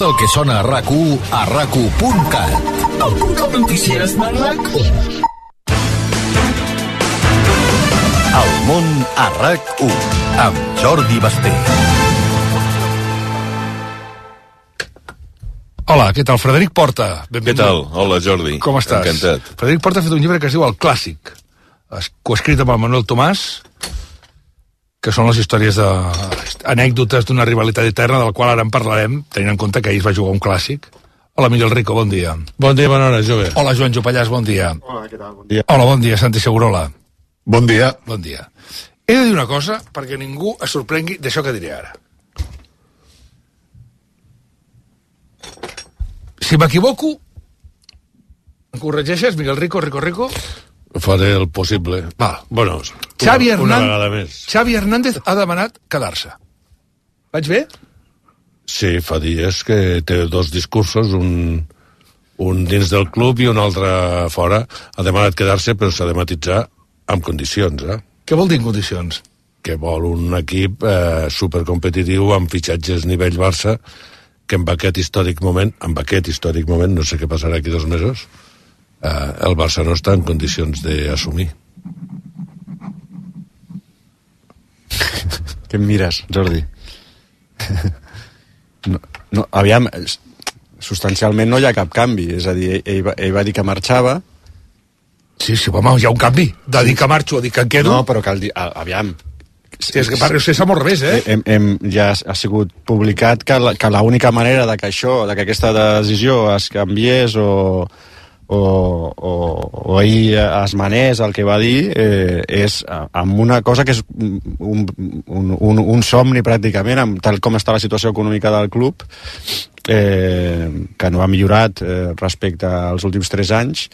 El que sona a RAC1 a RAC1.cat. El portal notícies de RAC1. El món a RAC1 amb Jordi Basté. Hola, què tal? Frederic Porta. Què tal? Hola, Jordi. Com estàs? Encantat. Frederic Porta ha fet un llibre que es diu El Clàssic, coescrit amb el Manuel Tomàs, que són les històries anècdotes d'una rivalitat eterna, del qual ara en parlarem, tenint en compte que ahir es va jugar un clàssic. Hola, Miguel Rico, bon dia. Bon dia, bona hora, jove. Hola, Joan Jopallàs, bon dia. Hola, què tal? Bon dia. Hola, bon dia, Santi Segurola. Bon dia. Bon dia. He de dir una cosa perquè ningú es sorprengui d'això que diré ara. Si m'equivoco, em corregeixes, Miguel Rico? Faré el possible. Val. Bueno, Xavi una vegada més. Xavi Hernández ha demanat quedar-se. Vaig bé? Sí, fa dies que té dos discursos, un dins del club i un altre fora. Ha demanat quedar-se, però s'ha de matisar amb condicions, Què vol dir en condicions? Que vol un equip supercompetitiu amb fitxatges nivell Barça, que en aquest històric moment, no sé què passarà aquí 2 mesos, el Barça no està en condicions d'assumir. Què em mires, Jordi? No, aviam, substancialment no hi ha cap canvi. És a dir, ell va dir que marxava. Sí, home, hi ha un canvi. De dir que marxo a dir que em quedo. No, però aviam. Sí, és que per ser som al revés, ja ha sigut publicat que l'única manera de que aquesta decisió es canviés o ell es manés el que va dir és amb una cosa que és un somni pràcticament, tal com està la situació econòmica del club, que no ha millorat respecte als últims 3 anys,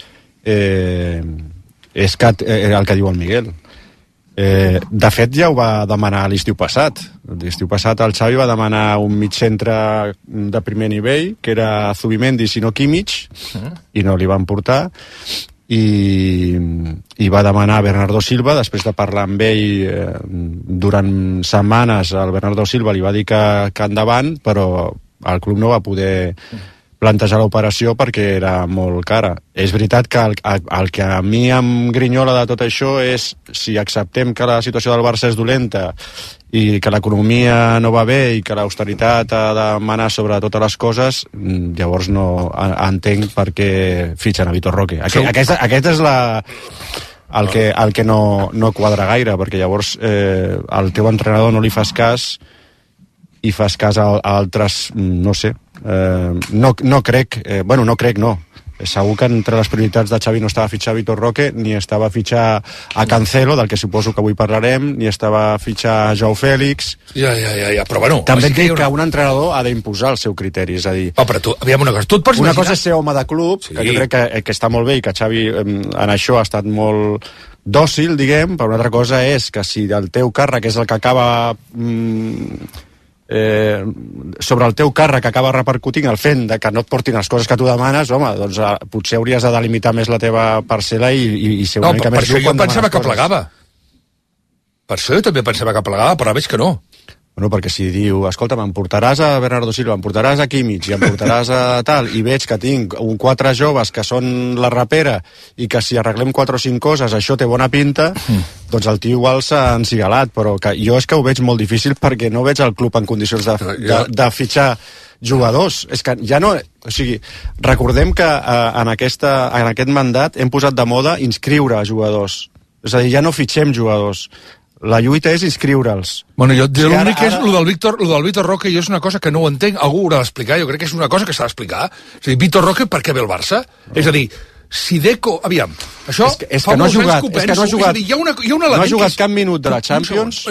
és el que diu el Miguel. De fet ja ho va demanar l'estiu passat. L'estiu passat el Xavi va demanar un migcentre de primer nivell, que era Zubimendi, si no Kimmich, i no li van portar, i va demanar Bernardo Silva. Després de parlar amb ell durant setmanes, el Bernardo Silva li va dir que endavant, però el club no va poder plantejar l'operació perquè era molt cara. És veritat que el que a mi em grinyola de tot això és si acceptem que la situació del Barça és dolenta i que l'economia no va bé i que l'austeritat ha de manar sobre totes les coses, llavors no entenc per què fitxen a Vitor Roque. Aquest és el que no quadra gaire, perquè llavors al teu entrenador no li fas cas i fas cas a altres, no sé, no crec, segur que entre les prioritats de Xavi no estava a fitxar Vitor Roque, ni estava a fitxar a Cancelo, del que suposo que avui parlarem, ni estava a fitxar Joao Félix. Ja, però bueno... També et dic que un entrenador ha d'imposar el seu criteri, és a dir... Però tu, aviam una cosa, tu et pots imaginar... Una cosa és ser home de club, sí, que jo crec que està molt bé i que Xavi en això ha estat molt dòcil, diguem, però una altra cosa és que si el teu càrrec és el que acaba... sobre el teu càrrec acaba repercutint el fet de que no et portin les coses que tu demanes, home, doncs potser hauries de delimitar més la teva parcel·la i ser una mica més dur quan demanes coses. No, per això jo pensava que plegava. Per això jo també pensava que plegava, però veig que no. Bueno, perquè si diu, escolta, em portaràs a Bernardo Silva, em portaràs a Kimmich i em portaràs a tal, i veig que tinc 4 joves que són la rapera i que si arreglem 4 o 5 coses això té bona pinta, doncs el tio igual s'ha encigalat, però que jo és que ho veig molt difícil perquè no veig el club en condicions de fitxar jugadors. És que ja no... O sigui, recordem que en aquest mandat hem posat de moda inscriure jugadors. És a dir, ja no fitxem jugadors. La lluita és inscriure'ls. Bueno, l'únic és el del Vitor Roque, jo és una cosa que no ho entenc, algú ho haurà d'explicar, jo crec que és una cosa que s'ha d'explicar. És a dir, Vitor Roque per què ve el Barça? És a dir, si Deco... Aviam, això és que no ha jugat, hi ha no ha jugat cap minut de la Champions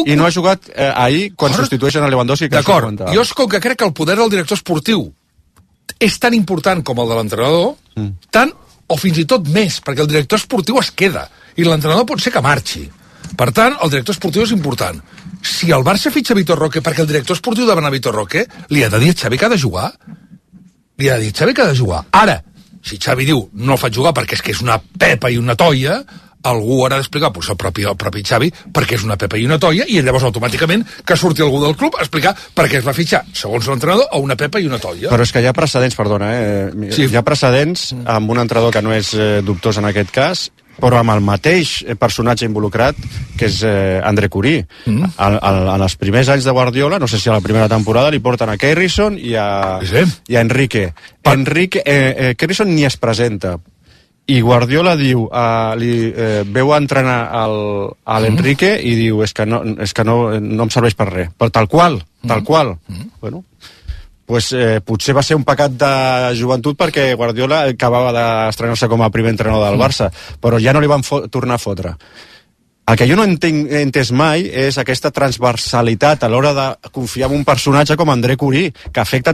i no ha jugat ahir quan substitueixen a Lewandowski. D'acord, jo és com que crec que el poder del director esportiu és tan important com el de l'entrenador, tant o fins i tot més, perquè el director esportiu es queda i l'entrenador pot ser que marxi. Per tant, el director esportiu és important. Si el Barça fitxa Vitor Roque perquè el director esportiu demana Vitor Roque, li ha de dir a Xavi que ha de jugar? Li ha de dir a Xavi que ha de jugar. Ara, si Xavi diu no el faig jugar perquè és que és una pepa i una toia, algú haurà d'explicar, potser el propi Xavi, perquè és una pepa i una toia, i llavors automàticament que surti algú del club a explicar per què es va fitxar, segons l'entrenador, a una pepa i una toia. Però és que hi ha precedents, perdona, sí. Hi ha precedents amb un entrenador que no és dubtós en aquest cas, però amb el mateix personatge involucrat, que és André Curí. En els primers anys de Guardiola, no sé si a la primera temporada, li porten a Kerrison i a Enrique. Kerrison ni es presenta. I Guardiola diu, veu a entrenar a l'Enrique i diu, és que no em serveix per res. Però tal qual. Bueno, pues, potser va ser un pecat de joventut perquè Guardiola acabava d'estrenar-se com a primer entrenador del Barça, però ja no li van tornar a fotre. El que jo no he entès mai és aquesta transversalitat a l'hora de confiar en un personatge com André Curí, que afecta a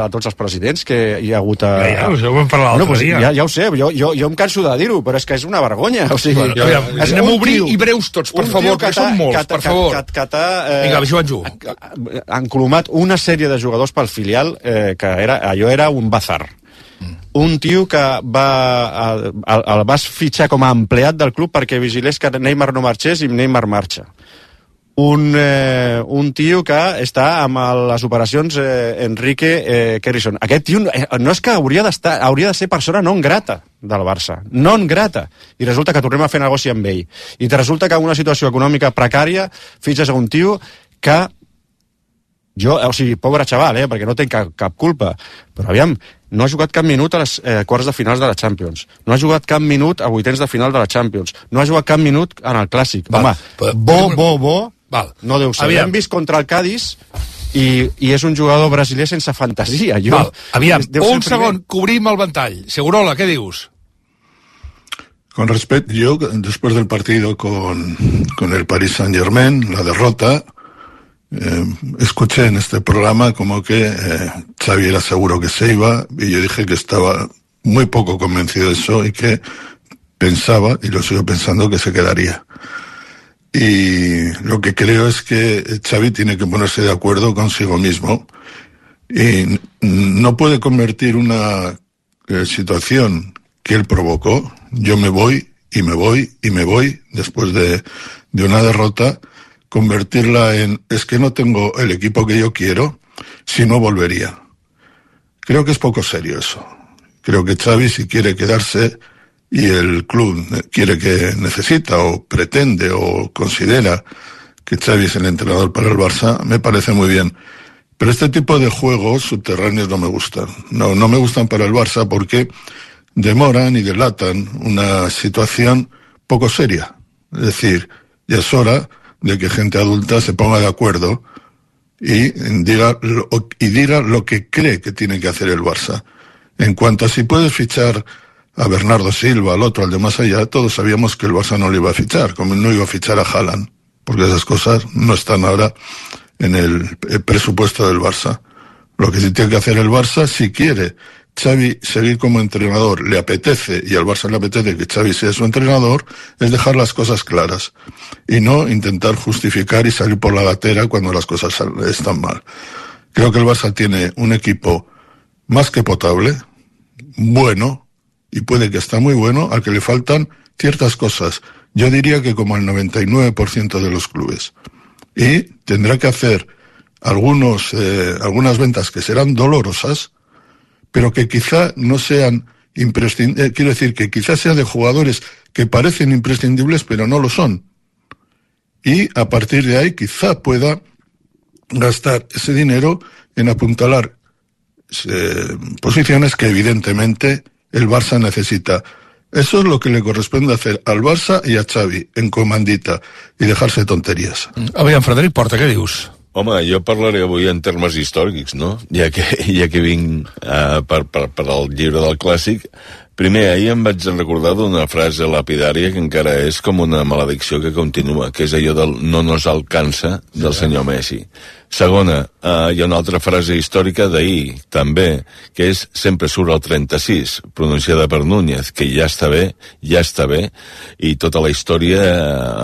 tots els presidents que hi ha hagut a... Ja ho vam parlar l'altre dia. Ja ho sé, jo em canso de dir-ho, però és que és una vergonya. O sigui, anem a obrir i breus tots, per favor, que són molts, per favor. Vinga, Joanjo. Han colomat una sèrie de jugadors pel filial que allò era un bazar. Un tio que el vas fitxar com a empleat del club perquè vigilés que Neymar no marxés i Neymar marxa. Un tio que està amb les operacions Enrique Kerrison. Aquest tio no és que hauria de ser persona non grata del Barça. Non grata. I resulta que tornem a fer negoci amb ell. I resulta que en una situació econòmica precària fitxes a un tio que pobre xaval, perquè no té cap culpa, però aviam, no ha jugat cap minut a les quarts de finals de la Champions, no ha jugat cap minut a vuitens de final de la Champions, no ha jugat cap minut en el Clàssic. Home, no deu ser. Hem vist contra el Cádiz i és un jugador brasiler sense fantasia. Aviam, un segon, cobrim el ventall. Segurola, què dius? Con respecto, yo después del partido con el Paris Saint-Germain, la derrota, escuché en este programa como que Xavi era seguro que se iba, y yo dije que estaba muy poco convencido de eso y que pensaba, y lo sigo pensando, que se quedaría. Y lo que creo es que Xavi tiene que ponerse de acuerdo consigo mismo y no puede convertir una situación que él provocó, yo me voy y me voy y me voy después de una derrota, convertirla en, es que no tengo el equipo que yo quiero, si no volvería. Creo que es poco serio eso. Creo que Xavi, si quiere quedarse y el club necesita o pretende o considera que Xavi es el entrenador para el Barça, me parece muy bien. Pero este tipo de juegos subterráneos no me gustan. No me gustan para el Barça porque demoran y delatan una situación poco seria. Es decir, ya es hora de que gente adulta se ponga de acuerdo y diga lo que cree que tiene que hacer el Barça. En cuanto a si puedes fichar a Bernardo Silva, al otro, al de más allá, todos sabíamos que el Barça no lo iba a fichar, como no iba a fichar a Haaland, porque esas cosas no están ahora en el presupuesto del Barça. Lo que sí tiene que hacer el Barça, si quiere Xavi seguir como entrenador, le apetece, y al Barça le apetece que Xavi sea su entrenador, es dejar las cosas claras y no intentar justificar y salir por la gatera cuando las cosas están mal. Creo que el Barça tiene un equipo más que potable, bueno, y puede que está muy bueno, al que le faltan ciertas cosas. Yo diría que como el 99% de los clubes. Y tendrá que hacer algunas ventas que serán dolorosas, pero que quizá no sean imprescindibles, quiero decir que quizás sean de jugadores que parecen imprescindibles pero no lo son. Y a partir de ahí quizá pueda gastar ese dinero en apuntalar posiciones que evidentemente el Barça necesita. Eso es lo que le corresponde hacer al Barça i a Xavi, en comandita, i dejar-se tonteries. Aviam, Frederic Porta, què dius? Home, jo parlaré avui en termes històrics, no? Ja que vinc per al llibre del Clàssic. Primer, ahir em vaig recordar d'una frase lapidària que encara és com una maledicció que continua, que és allò del no nos alcança del senyor Messi. Segona, hi ha una altra frase històrica d'ahir, també, que és sempre surt el 36, pronunciada per Núñez, que ja està bé, i tota la història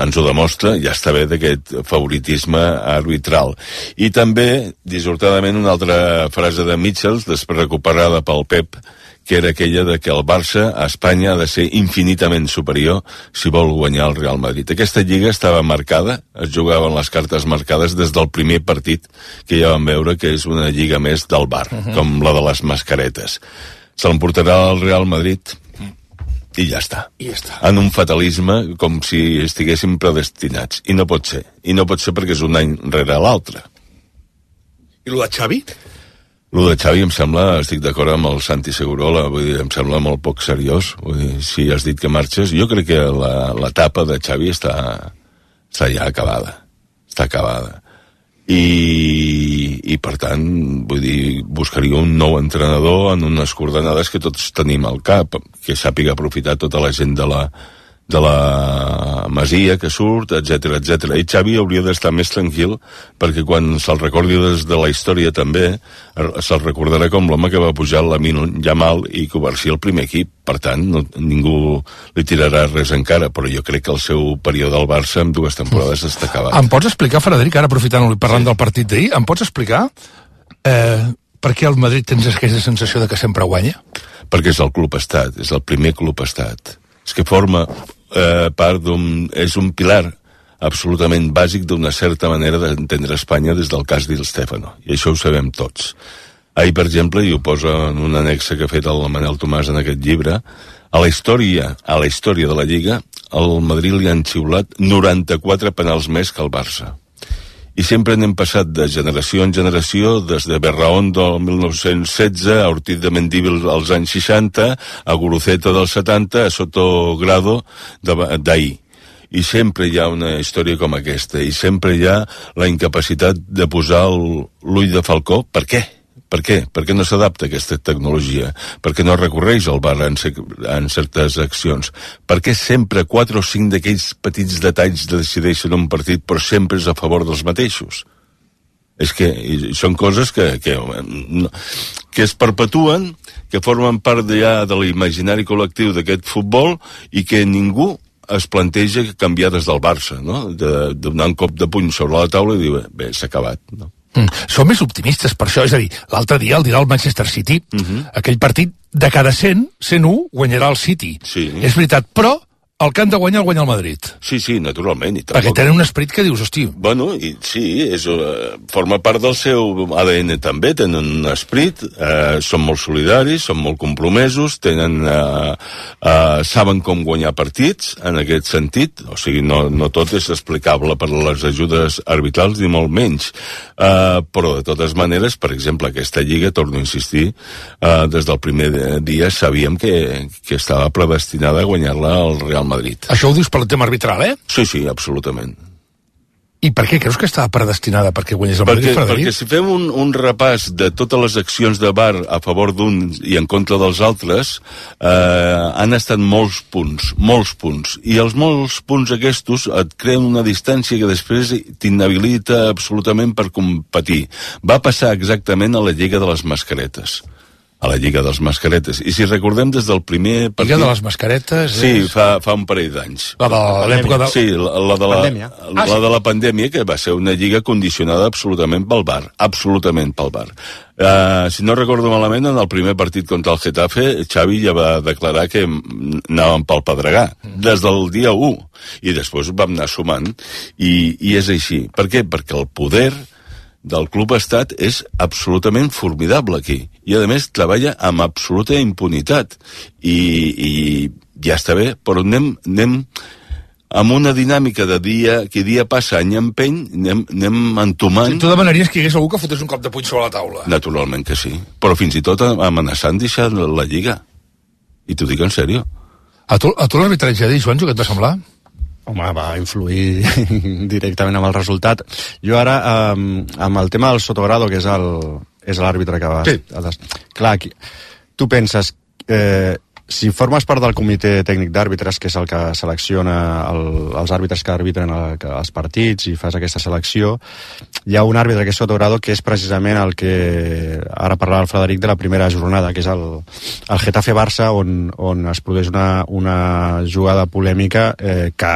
ens ho demostra, ja està bé d'aquest favoritisme arbitral. I també, dissortadament, una altra frase de Mitchell, després recuperada pel Pep, que era aquella de que el Barça a Espanya ha de ser infinitament superior si vol guanyar el Real Madrid. Aquesta lliga estava marcada, es jugaven les cartes marcades des del primer partit que ja vam veure que és una lliga més del bar, com la de les mascaretes. Se l'emportarà el Real Madrid i ja està. En un fatalisme com si estiguéssim predestinats. I no pot ser. I no pot ser perquè és un any rere l'altre. I lo de Xavi? Lo de Xavi em sembla, estic d'acord amb el Santi Segurola, vull dir, em sembla molt poc seriós. Vull dir, si has dit que marxes, jo crec que l'etapa de Xavi està ja acabada. Està acabada. I per tant, vull dir, buscaria un nou entrenador en unes coordenades que tots tenim al cap, que sàpiga aprofitar tota la gent de la Masia que surt, etc etc. I Xavi hauria d'estar més tranquil perquè quan se'l recordi des de la història també se'l recordarà com l'home que va pujar Lamine Yamal i convertir el primer equip. Per tant, ningú li tirarà res encara, però jo crec que el seu període al Barça en 2 temporades està acabat. Em pots explicar, Frederic, ara aprofitant i parlant del partit d'ahir, em pots explicar per què el Madrid tens aquesta sensació de que sempre guanya? Perquè és el club estat, és el primer club estat. És que forma part és un pilar absolutament bàsic d'una certa manera d'entendre Espanya des del cas d'Il Stefano, i això ho sabem tots. Ahir, per exemple, i ho posa en un annexe que ha fet el Manel Tomàs en aquest llibre, a la història de la Lliga, al Madrid li han xiulat 94 penals més que el Barça. I sempre n'hem passat de generació en generació, des de Berraondo del 1916, a Ortiz de Mendívil als anys 60, a Guruceta del 70, a Sotogrado d'ahir. I sempre hi ha una història com aquesta, i sempre hi ha la incapacitat de posar l'ull de falcó. Per què? Per què? Per què no s'adapta aquesta tecnologia? Per què no recorreix al VAR en certes accions? Per què sempre 4 o 5 d'aquells petits detalls decideixen un partit però sempre és a favor dels mateixos? És que són coses que es perpetuen, que formen part ja de l'imaginari col·lectiu d'aquest futbol i que ningú es planteja canviar des del Barça, no? De donar un cop de puny sobre la taula i dir, bé, s'ha acabat, no? Som més optimistes per això, és a dir, l'altre dia el dirà el Manchester City, aquell partit de cada 101 guanyarà el City. Sí. És veritat, però el que han de guanyar el guanya el Madrid. Sí, naturalment. Perquè tenen un esperit que dius, hosti... Bueno, sí, forma part del seu ADN també, tenen un esperit, són molt solidaris, són molt compromesos, saben com guanyar partits, en aquest sentit, o sigui, no tot és explicable per les ajudes arbitrals, ni molt menys, però de totes maneres, per exemple, aquesta lliga, torno a insistir, des del primer dia sabíem que estava predestinada a guanyar-la al Real Madrid. Això ho dius per el tema arbitral, Sí, absolutament. I per què creus que estava predestinada perquè guanyés el Madrid, Frederic? Perquè si fem un repàs de totes les accions de VAR a favor d'uns i en contra dels altres, han estat molts punts. I els molts punts aquests et creen una distància que després t'inhabilita absolutament per competir. Va passar exactament a la Lliga de les Mascaretes. A la Lliga dels Mascaretes. I si recordem des del primer partit... Lliga de les Mascaretes... Sí, fa un parell d'anys. La de l'època de... Sí, la de la pandèmia, que va ser una lliga condicionada absolutament pel VAR. Absolutament pel VAR. Si no recordo malament, en el primer partit contra el Getafe, Xavi ja va declarar que anàvem pel Pedregà, des del dia 1. I després vam anar sumant. I és així. Per què? Perquè el poder del club estat és absolutament formidable aquí, i a més treballa amb absoluta impunitat, i ja està bé, però anem amb una dinàmica de dia passa, any empeny, anem entomant... Si tu demanaries que hi hagués algú que fotés un cop de puny sobre la taula. Naturalment que sí, però fins i tot amenaçant deixar la Lliga, i t'ho dic en sèrio. A tu l'arbitratge d'ahir, Joanjo, què et va semblar? Home, va influir directament amb el resultat. Jo ara, amb el tema del Sotogrado, que és l'àrbitre que va... Sí. Clar, tu penses, si formes part del comitè tècnic d'àrbitres, que és el que selecciona els àrbitres que arbitren els partits i fas aquesta selecció, hi ha un àrbitre que és Sotogrado, que és precisament el que ara parlava el Frederic de la primera jornada, que és el Getafe-Barça, on es produeix una jugada polèmica que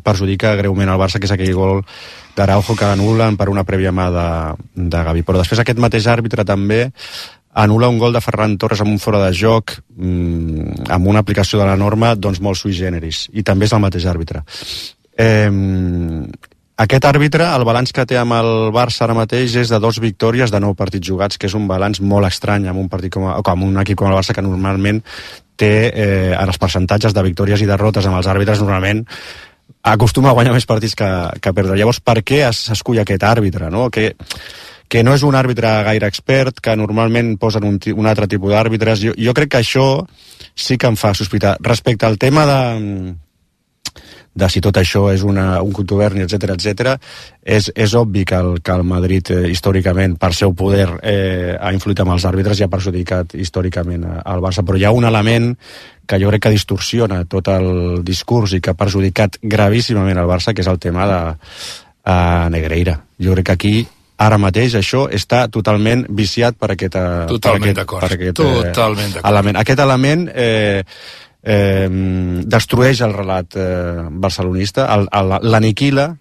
perjudica greument el Barça, que és aquell gol d'Araujo que anulen per una prèvia mà de Gavi. Però després aquest mateix àrbitre també anul·la un gol de Ferran Torres amb un fora de joc, amb una aplicació de la norma doncs molt sui generis, i també és el mateix àrbitre. Aquest àrbitre, el balanç que té amb el Barça ara mateix és de 2 victòries de 9 partits jugats, que és un balanç molt estrany amb un equip com el Barça, que normalment té en els percentatges de victòries i derrotes amb els àrbitres, normalment acostuma a guanyar més partits que perdre. Llavors, per què s'escull aquest àrbitre, no? Que no és un àrbitre gaire expert, que normalment posen un altre tipus d'àrbitres. Jo crec que això sí que em fa sospitar. Respecte al tema de si tot això és un contuberni, etc, és obvi que el Madrid històricament, per seu poder, ha influït amb els àrbitres i ha perjudicat històricament al Barça, però hi ha un element que jo crec que distorsiona tot el discurs i que ha perjudicat gravíssimament al Barça, que és el tema de Negreira. Jo crec que aquí ara mateix això està totalment viciat per aquest element. Aquest element destrueix el relat barcelonista, l'aniquila,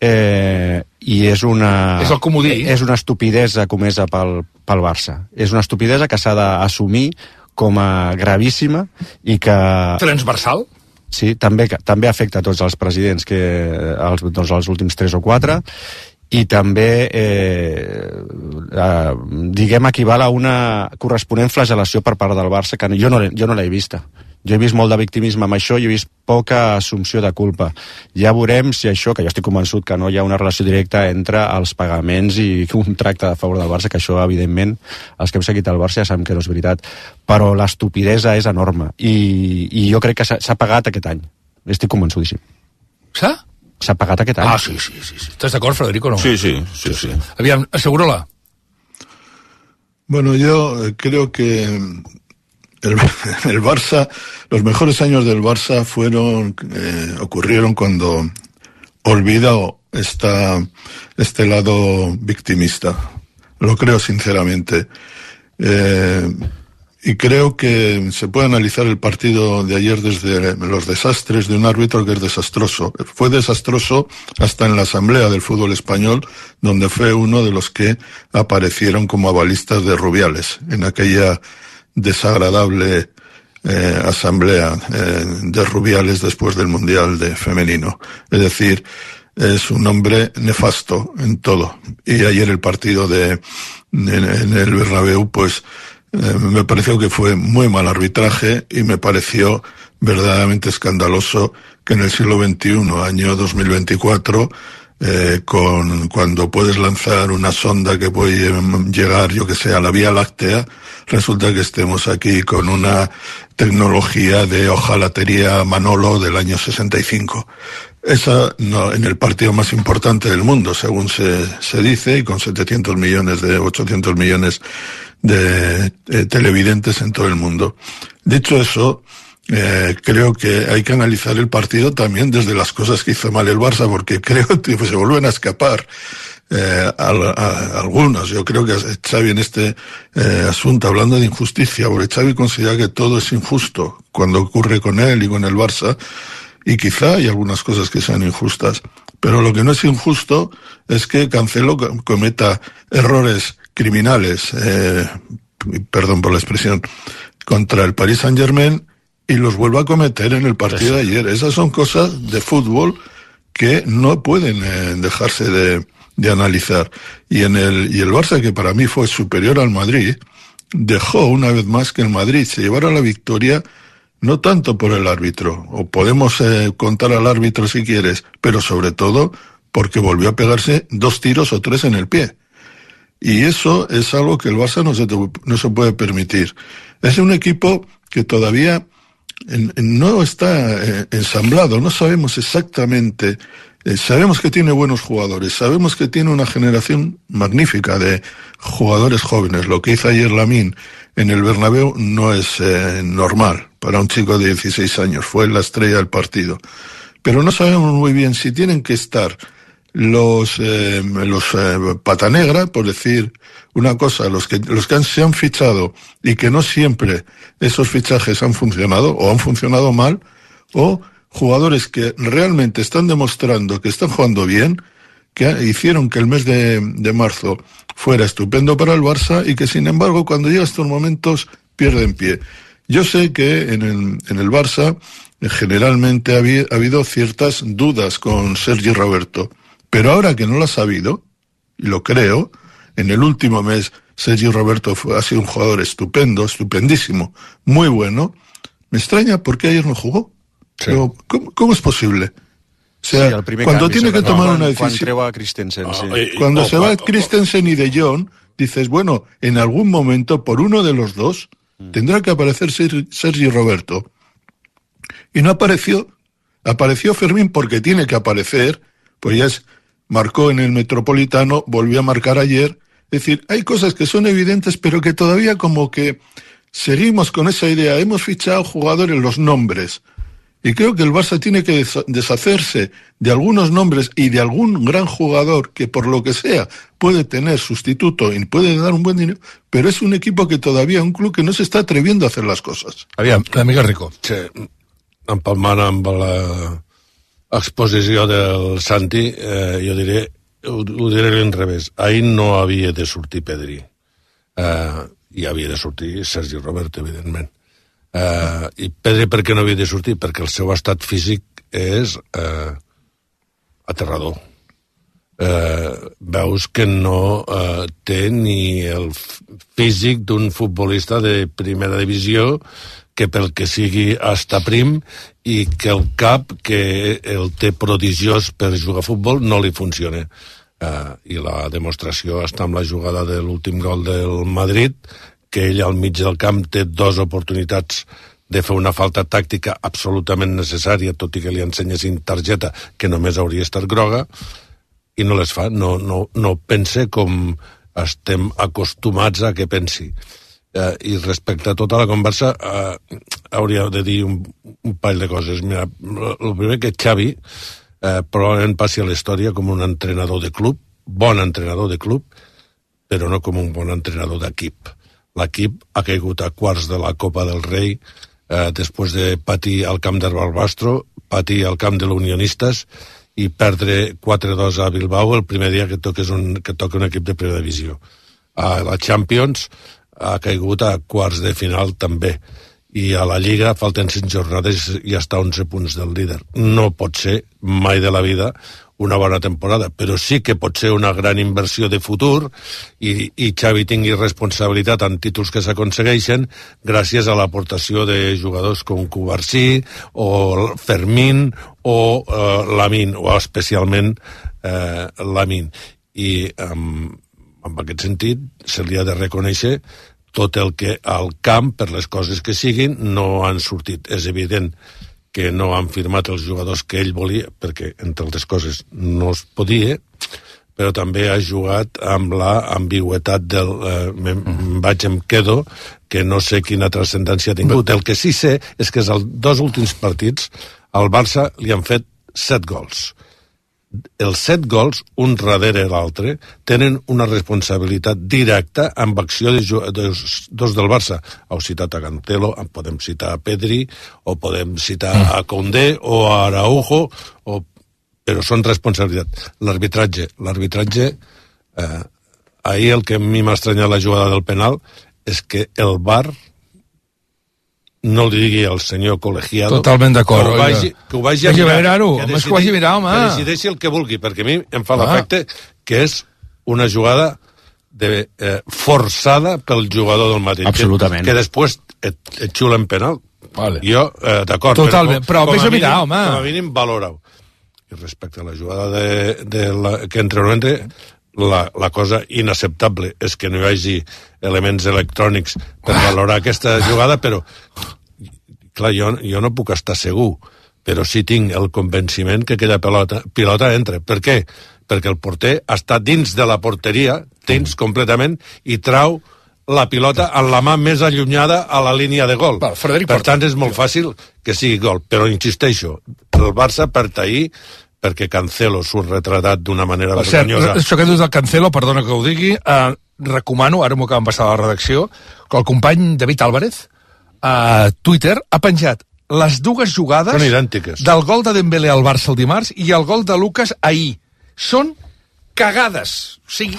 i és el comodí. És una estupidesa comesa pel Barça. És una estupidesa que s'ha d'assumir com a gravíssima i que... Transversal? Sí, també afecta a tots els presidents, els últims 3 o 4, i també diguem equival a una corresponent flagel·lació per part del Barça, que jo no l'he vista. Jo he vist molt de victimisme amb això i he vist poca assumpció de culpa. Ja veurem si això, que jo estic convençut que no hi ha una relació directa entre els pagaments i un tracte a favor del Barça, que això, evidentment, els que hem seguit el Barça ja sabem que no és veritat. Però l'estupidesa és enorme. I jo crec que s'ha pagat aquest any. Estic convençudíssim. S'ha pagat aquest any. Ah, sí. ¿Estás d'acord, Federico, no? Sí. Aviam, assegura-la. Bueno, yo creo que el Barça, los mejores años del Barça ocurrieron cuando olvidó este lado victimista. Lo creo sinceramente. Y creo que se puede analizar el partido de ayer desde los desastres de un árbitro que es desastroso. Fue desastroso hasta en la Asamblea del Fútbol Español, donde fue uno de los que aparecieron como avalistas de Rubiales, en aquella desagradable asamblea de Rubiales después del Mundial de Femenino. Es decir, es un hombre nefasto en todo. Y ayer el partido en el Bernabéu, pues me pareció que fue muy mal arbitraje y me pareció verdaderamente escandaloso que en el siglo XXI, año 2024, cuando puedes lanzar una sonda que puede llegar, yo que sé, a la Vía Láctea, resulta que estemos aquí con una tecnología de hojalatería Manolo del año 65. Esa no, en el partido más importante del mundo, según se dice, y con 800 millones de televidentes en todo el mundo. Dicho eso, creo que hay que analizar el partido también desde las cosas que hizo mal el Barça, porque creo que se vuelven a escapar algunos. Yo creo que Xavi en este asunto, hablando de injusticia, porque Xavi considera que todo es injusto cuando ocurre con él y con el Barça, y quizá hay algunas cosas que sean injustas, pero lo que no es injusto es que Cancelo cometa errores criminales, perdón por la expresión, contra el Paris Saint-Germain y los vuelva a cometer en el partido de ayer. Esas son cosas de fútbol que no pueden dejarse de analizar. Y el Barça, que para mí fue superior al Madrid, dejó una vez más que el Madrid se llevara la victoria, no tanto por el árbitro, o podemos contar al árbitro si quieres, pero sobre todo porque volvió a pegarse 2 tiros o 3 en el pie. Y eso es algo que el Barça no se puede permitir. Es un equipo que todavía no está ensamblado, no sabemos exactamente. Sabemos que tiene buenos jugadores, sabemos que tiene una generación magnífica de jugadores jóvenes. Lo que hizo ayer Lamine en el Bernabéu no es normal para un chico de 16 años, fue la estrella del partido. Pero no sabemos muy bien si tienen que estar los pata negra, por decir una cosa, los que se han fichado y que no siempre esos fichajes han funcionado o han funcionado mal, o jugadores que realmente están demostrando que están jugando bien, que hicieron que el mes de marzo fuera estupendo para el Barça y que, sin embargo, cuando llega a estos momentos, pierden pie. Yo sé que en el Barça generalmente ha habido ciertas dudas con Sergi Roberto, pero ahora que no las ha habido, y lo creo, en el último mes Sergi Roberto ha sido un jugador estupendo, estupendísimo, muy bueno. Me extraña por qué ayer no jugó. Sí. Pero, ¿cómo es posible? O sea, sí, cuando tiene que tomar una decisión... Cuando se va Christensen y De Jong, dices, bueno, en algún momento, por uno de los dos, tendrá que aparecer Sergi Roberto. Y no apareció. Apareció Fermín porque tiene que aparecer, pues ya marcó en el Metropolitano, volvió a marcar ayer. Es decir, hay cosas que son evidentes, pero que todavía como que seguimos con esa idea. Hemos fichado jugadores, los nombres. Y creo que el Barça tiene que deshacerse de algunos nombres y de algún gran jugador que, por lo que sea, puede tener sustituto y puede dar un buen dinero, pero es un equipo que todavía, un club que no se está atreviendo a hacer las cosas. Aviam, l'amiga Rico. Sí, empalmant amb l'exposició del Santi, jo diré, ho diré a l'inrevés. Ahir no havia de sortir Pedri. I havia de sortir Sergi Roberto, evidentment. I Pedri per què no havia de sortir? Perquè el seu estat físic és aterrador. Veus que no té ni el físic d'un futbolista de primera divisió, que pel que sigui està prim, i que el cap que el té prodigiós per jugar a futbol no li funciona. I la demostració està amb la jugada de l'últim gol del Madrid, que ell al mig del camp té dues oportunitats de fer una falta tàctica absolutament necessària, tot i que li ensenyessin targeta que només hauria estat groga, i no les fa, no pense com estem acostumats a que pensi. I respecte a tota la conversa, hauria de dir un parell de coses. Mira, el primer que Xavi probablement passi a la història com un entrenador de club, bon entrenador de club, però no com un bon entrenador d'equip. L'equip ha caigut a quarts de la Copa del Rei després de patir al camp del Barbastro, patir al camp de l'Unionistes i perdre 4-2 a Bilbao el primer dia que toca un equip de primera divisió. A la Champions ha caigut a quarts de final també, i a la Lliga falten 5 jornades i està a 11 punts del líder. No pot ser mai de la vida una bona temporada, però sí que pot ser una gran inversió de futur i Xavi tingui responsabilitat en títols que s'aconsegueixen gràcies a l'aportació de jugadors com Cubarsí o Fermín o Lamine, o especialment Lamine. I en aquest sentit se li ha de reconèixer tot el que al camp, per les coses que siguin, no han sortit. És evident que no han firmat els jugadors que ell volia, perquè, entre altres coses, no es podia, però també ha jugat amb la ambigüetat del vaig em quedo, que no sé quina transcendència ha tingut. El que sí sé és que els dos últims partits al Barça li han fet 7 gols. Els 7 gols, un darrere l'altre, tenen una responsabilitat directa amb acció de dos del Barça. Heu citat a Cancelo, podem citar a Pedri, o podem citar a Koundé o a Araujo, però són responsabilitat. L'arbitratge, ahir el que a mi m'ha estranyat la jugada del penal és que el VAR no li digui al senyor col·legiado totalment d'acord, que ho vagi a mirar, home, que decideixi el que vulgui, perquè a mi em fa l'efecte que és una jugada forçada pel jugador del Madrid, que després et xulen penal. Vale. Jo, d'acord, totalment, però vés a mirar, home, com a mínim valora-ho. I respecte a la jugada que entre no entre, la cosa inacceptable és que no hi hagi elements electrònics per valorar aquesta jugada, però clar, jo no puc estar segur, però sí tinc el convenciment que aquella pilota entra. Per què? Perquè el porter està dins de la porteria, dins completament, i trau la pilota en la mà més allunyada a la línia de gol. Per tant, és molt fàcil que sigui gol, però insisteixo, el Barça perd ahir perquè Cancelo surt retratat d'una manera vergonyosa. Això que dius del Cancelo, perdona que ho digui, recomano, ara m'ho acaben passar a la redacció, que el company David Álvarez a Twitter ha penjat les dues jugades són idèntiques del gol de Dembélé al Barça el dimarts i el gol de Lucas ahir. Són cagades, o sigui,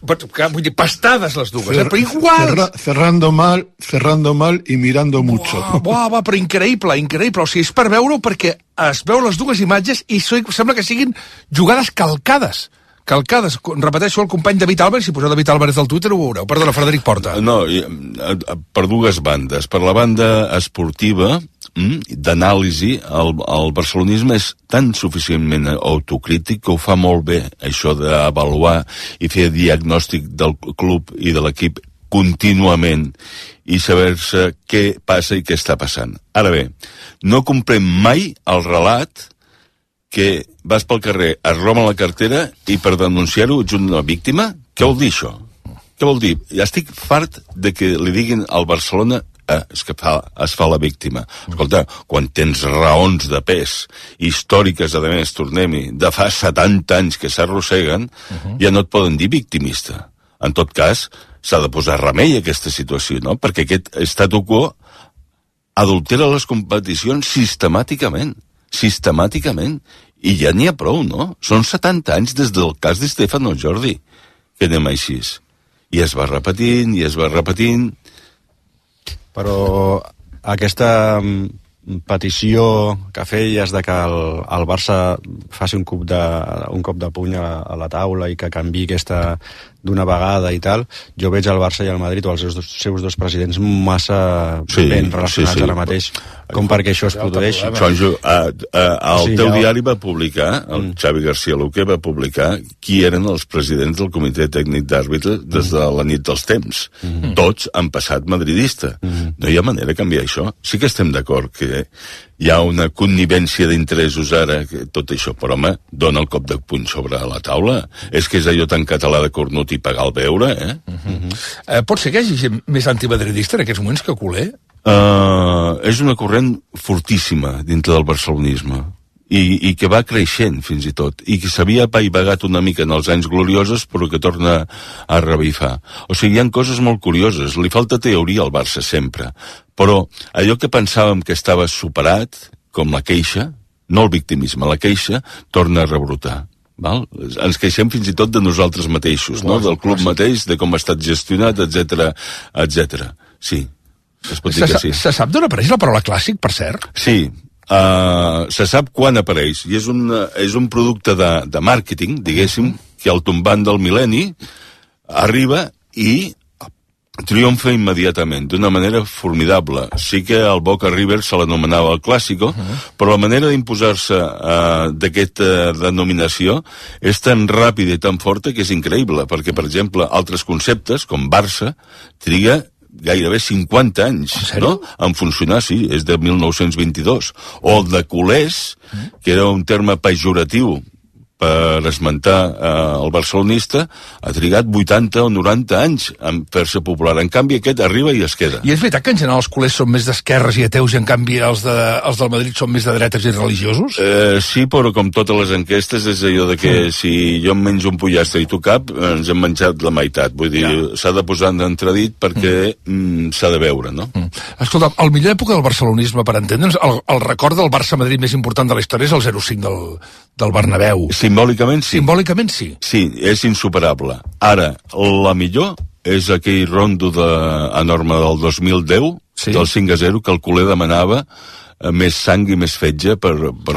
vull dir, pastades les dues, però iguals. Cerrando mal y mirando mucho. Buah, però increïble, o sigui, és per veure-ho perquè es veu les dues imatges i sembla que siguin jugades calcades. Repeteixo, el company David Álvarez, si poseu David Álvarez al Twitter ho veureu. Perdona, Frederic Porta. No, per dues bandes. Per la banda esportiva, d'anàlisi, el barcelonisme és tan suficientment autocrític que ho fa molt bé, això d'avaluar i fer diagnòstic del club i de l'equip contínuament i saber-se què passa i què està passant. Ara bé, no comprem mai el relat que vas pel carrer, es roben la cartera i per denunciar-ho ets una víctima? Què vol dir això? Què vol dir? Ja estic fart de que li diguin al Barcelona es fa la víctima. Escolta, quan tens raons de pes històriques, a més, tornem-hi, de fa 70 anys que s'arrosseguen, ja no et poden dir victimista. En tot cas, s'ha de posar remei a aquesta situació, no? Perquè aquest statu quo adultera les competicions sistemàticament, i ja n'hi ha prou, no? Són 70 anys des del cas de Stefano Jordi, que anem així. I es va repetint, Però aquesta petició que feies de que el Barça faci un cop de puny a la taula i que canviï aquesta d'una vegada i tal, jo veig el Barça i el Madrid o els seus dos presidents massa ben relacionats ara mateix com perquè això es produeix. El teu diari va publicar, el Xavi García Luque va publicar qui eren els presidents del comitè tècnic d'àrbitres des de la nit dels temps. Tots han passat madridista. No hi ha manera de canviar això. Sí que estem d'acord que hi ha una connivència d'interessos ara, tot això, però home, dona el cop de puny sobre la taula. És que és allò tan català de cornut i pagar el beure, Pot ser que hi hagi gent més antimadridista en aquests moments que culer? És una corrent fortíssima dintre del barcelonisme i que va creixent fins i tot i que s'havia apaivagat una mica en els anys gloriosos però que torna a revifar. O sigui, hi ha coses molt curioses, li falta teoria al Barça sempre, però allò que pensàvem que estava superat, com la queixa, no el victimisme, la queixa torna a rebrotar. Val? Ens queixem fins i tot de nosaltres mateixos, no? Del club mateix, de com ha estat gestionat, etc. Sí, es pot dir que sí. Se sap d'on apareix la paraula clàssic, per cert? Sí, se sap quan apareix, i és un producte de màrqueting, diguéssim, que al tombant del mil·lenni arriba i triomfa immediatament, d'una manera formidable. Sí que el Boca River se l'anomenava el Clàssico, però la manera d'imposar-se d'aquesta denominació és tan ràpida i tan forta que és increïble, perquè, per exemple, altres conceptes, com Barça, triga gairebé 50 anys, no? En funcionar, sí, és de 1922. O el de culers, que era un terme pejoratiu per esmentar el barcelonista, ha trigat 80 o 90 anys en fer-se popular. En canvi, aquest arriba i es queda. I és veritat que en general els culers són més d'esquerres i ateus i en canvi els del Madrid són més de dretes i religiosos? Sí, però com totes les enquestes és allò de que si jo em menjo un pollastre i tu cap, ens hem menjat la meitat. Vull dir, s'ha de posar en entredit perquè s'ha de veure, no? Escolta, el millor època del barcelonisme, per entendre'ns, el record del Barça-Madrid més important de la història és el 0-5 del Bernabéu. Simbòlicament sí. Simbòlicament sí. Sí, és insuperable. Ara, la millor és aquell rondo enorme del 2010, del 5-0, que el culer demanava més sang i més fetge per...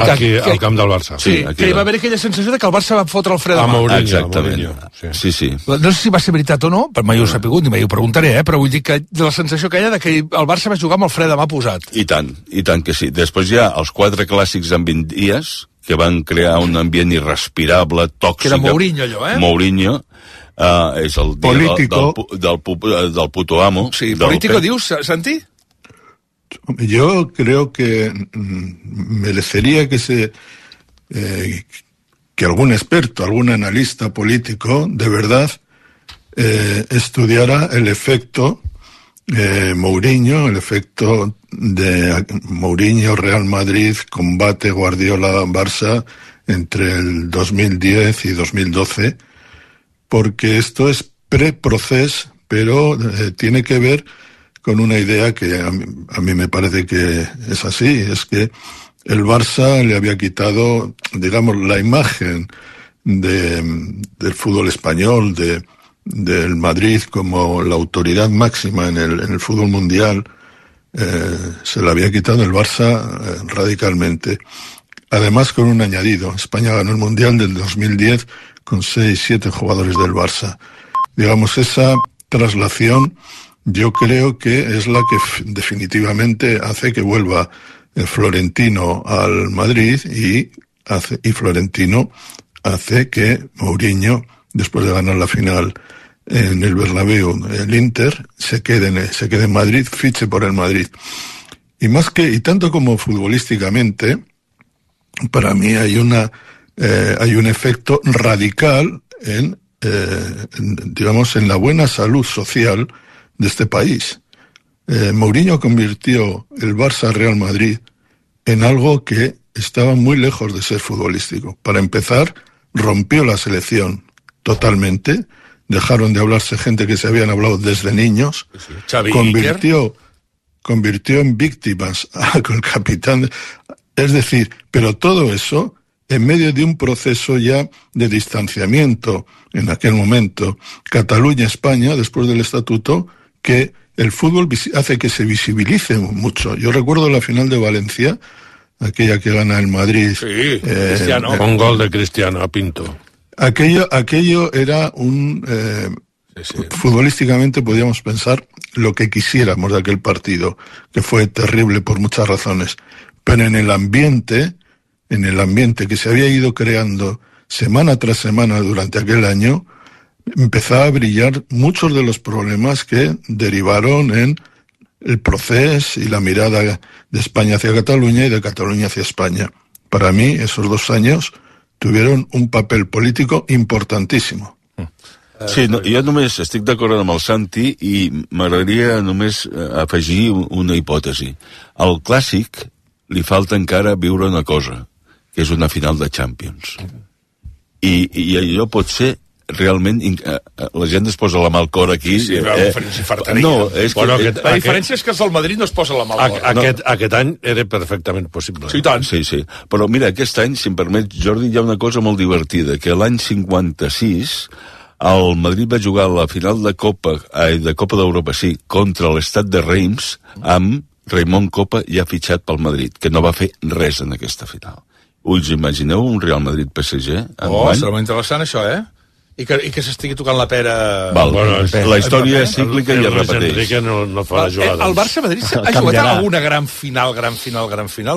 Aquí, al camp del Barça. Sí, que hi va haver aquella sensació de que el Barça va fotre el fre de mà. Mourinho, exactament. Sí. No sé si va ser veritat o no, però mai ho he sapigut, ni mai ho preguntaré, però vull dir que la sensació que hi ha de que el Barça va jugar amb el fre de mà posat. I tant que sí. Després hi ha els 4 clàssics en 20 dies, que van crear un ambient irrespirable, tòxic. Que era Mourinho, allò, Mourinho, és el dia del puto amo. Sí, político, dius, Santi? Yo creo que merecería que que algún experto, algún analista político, de verdad, estudiara el efecto Mourinho, el efecto de Mourinho, Real Madrid, combate Guardiola-Barça entre el 2010 y 2012, porque esto es pre-proceso, pero tiene que ver con una idea que a mí me parece que es así, es que el Barça le había quitado, digamos, la imagen del fútbol español, del Madrid como la autoridad máxima en el fútbol mundial, se la había quitado el Barça radicalmente. Además, con un añadido: España ganó el Mundial del 2010 con 6-7 jugadores del Barça. Digamos, esa traslación yo creo que es la que definitivamente hace que vuelva Florentino al Madrid y Florentino hace que Mourinho, después de ganar la final en el Bernabéu, el Inter, se quede en Madrid, fiche por el Madrid. Y tanto como futbolísticamente, para mí hay un efecto radical en la buena salud social de este país. Mourinho convirtió el Barça Real Madrid en algo que estaba muy lejos de ser futbolístico. Para empezar, rompió la selección totalmente, dejaron de hablarse gente que se habían hablado desde niños, convirtió en víctimas al capitán. Es decir, pero todo eso en medio de un proceso ya de distanciamiento en aquel momento, Cataluña-España, después del estatuto, que el fútbol hace que se visibilice mucho. Yo recuerdo la final de Valencia, aquella que gana el Madrid. Sí, Cristiano. Con gol de Cristiano a Pinto. Aquello era futbolísticamente podíamos pensar lo que quisiéramos de aquel partido, que fue terrible por muchas razones. Pero en el ambiente que se había ido creando semana tras semana durante aquel año, empezaba a brillar muchos de los problemas que derivaron en el proceso y la mirada de España hacia Cataluña y de Cataluña hacia España. Para mí, esos 2 años tuvieron un papel político importantísimo. Sí, no, jo només estic d'acord amb el Santi i m'agradaria només afegir una hipòtesi. Al Clàssic li falta encara viure una cosa, que és una final de Champions. I allò pot ser realment... la gent es posa la mà al cor aquí... Sí, no, és que... Bueno, la diferència és que els del Madrid no es posa la mà al cor. Aquest any era perfectament possible. Sí, tant. Sí. Però mira, aquest any, si em permet, Jordi, hi ha una cosa molt divertida, que l'any 56 el Madrid va jugar la final de Copa d'Europa, sí, contra l'Estat de Reims, amb Raimon Copa ja fitxat pel Madrid, que no va fer res en aquesta final. Us imagineu un Real Madrid-PSG? Serà molt interessant això, I que s'estigui tocant la pera... La història és cíclica i es repeteix. Enrique no fa les jugades. El Barça-Madrid ha jugat a alguna gran final o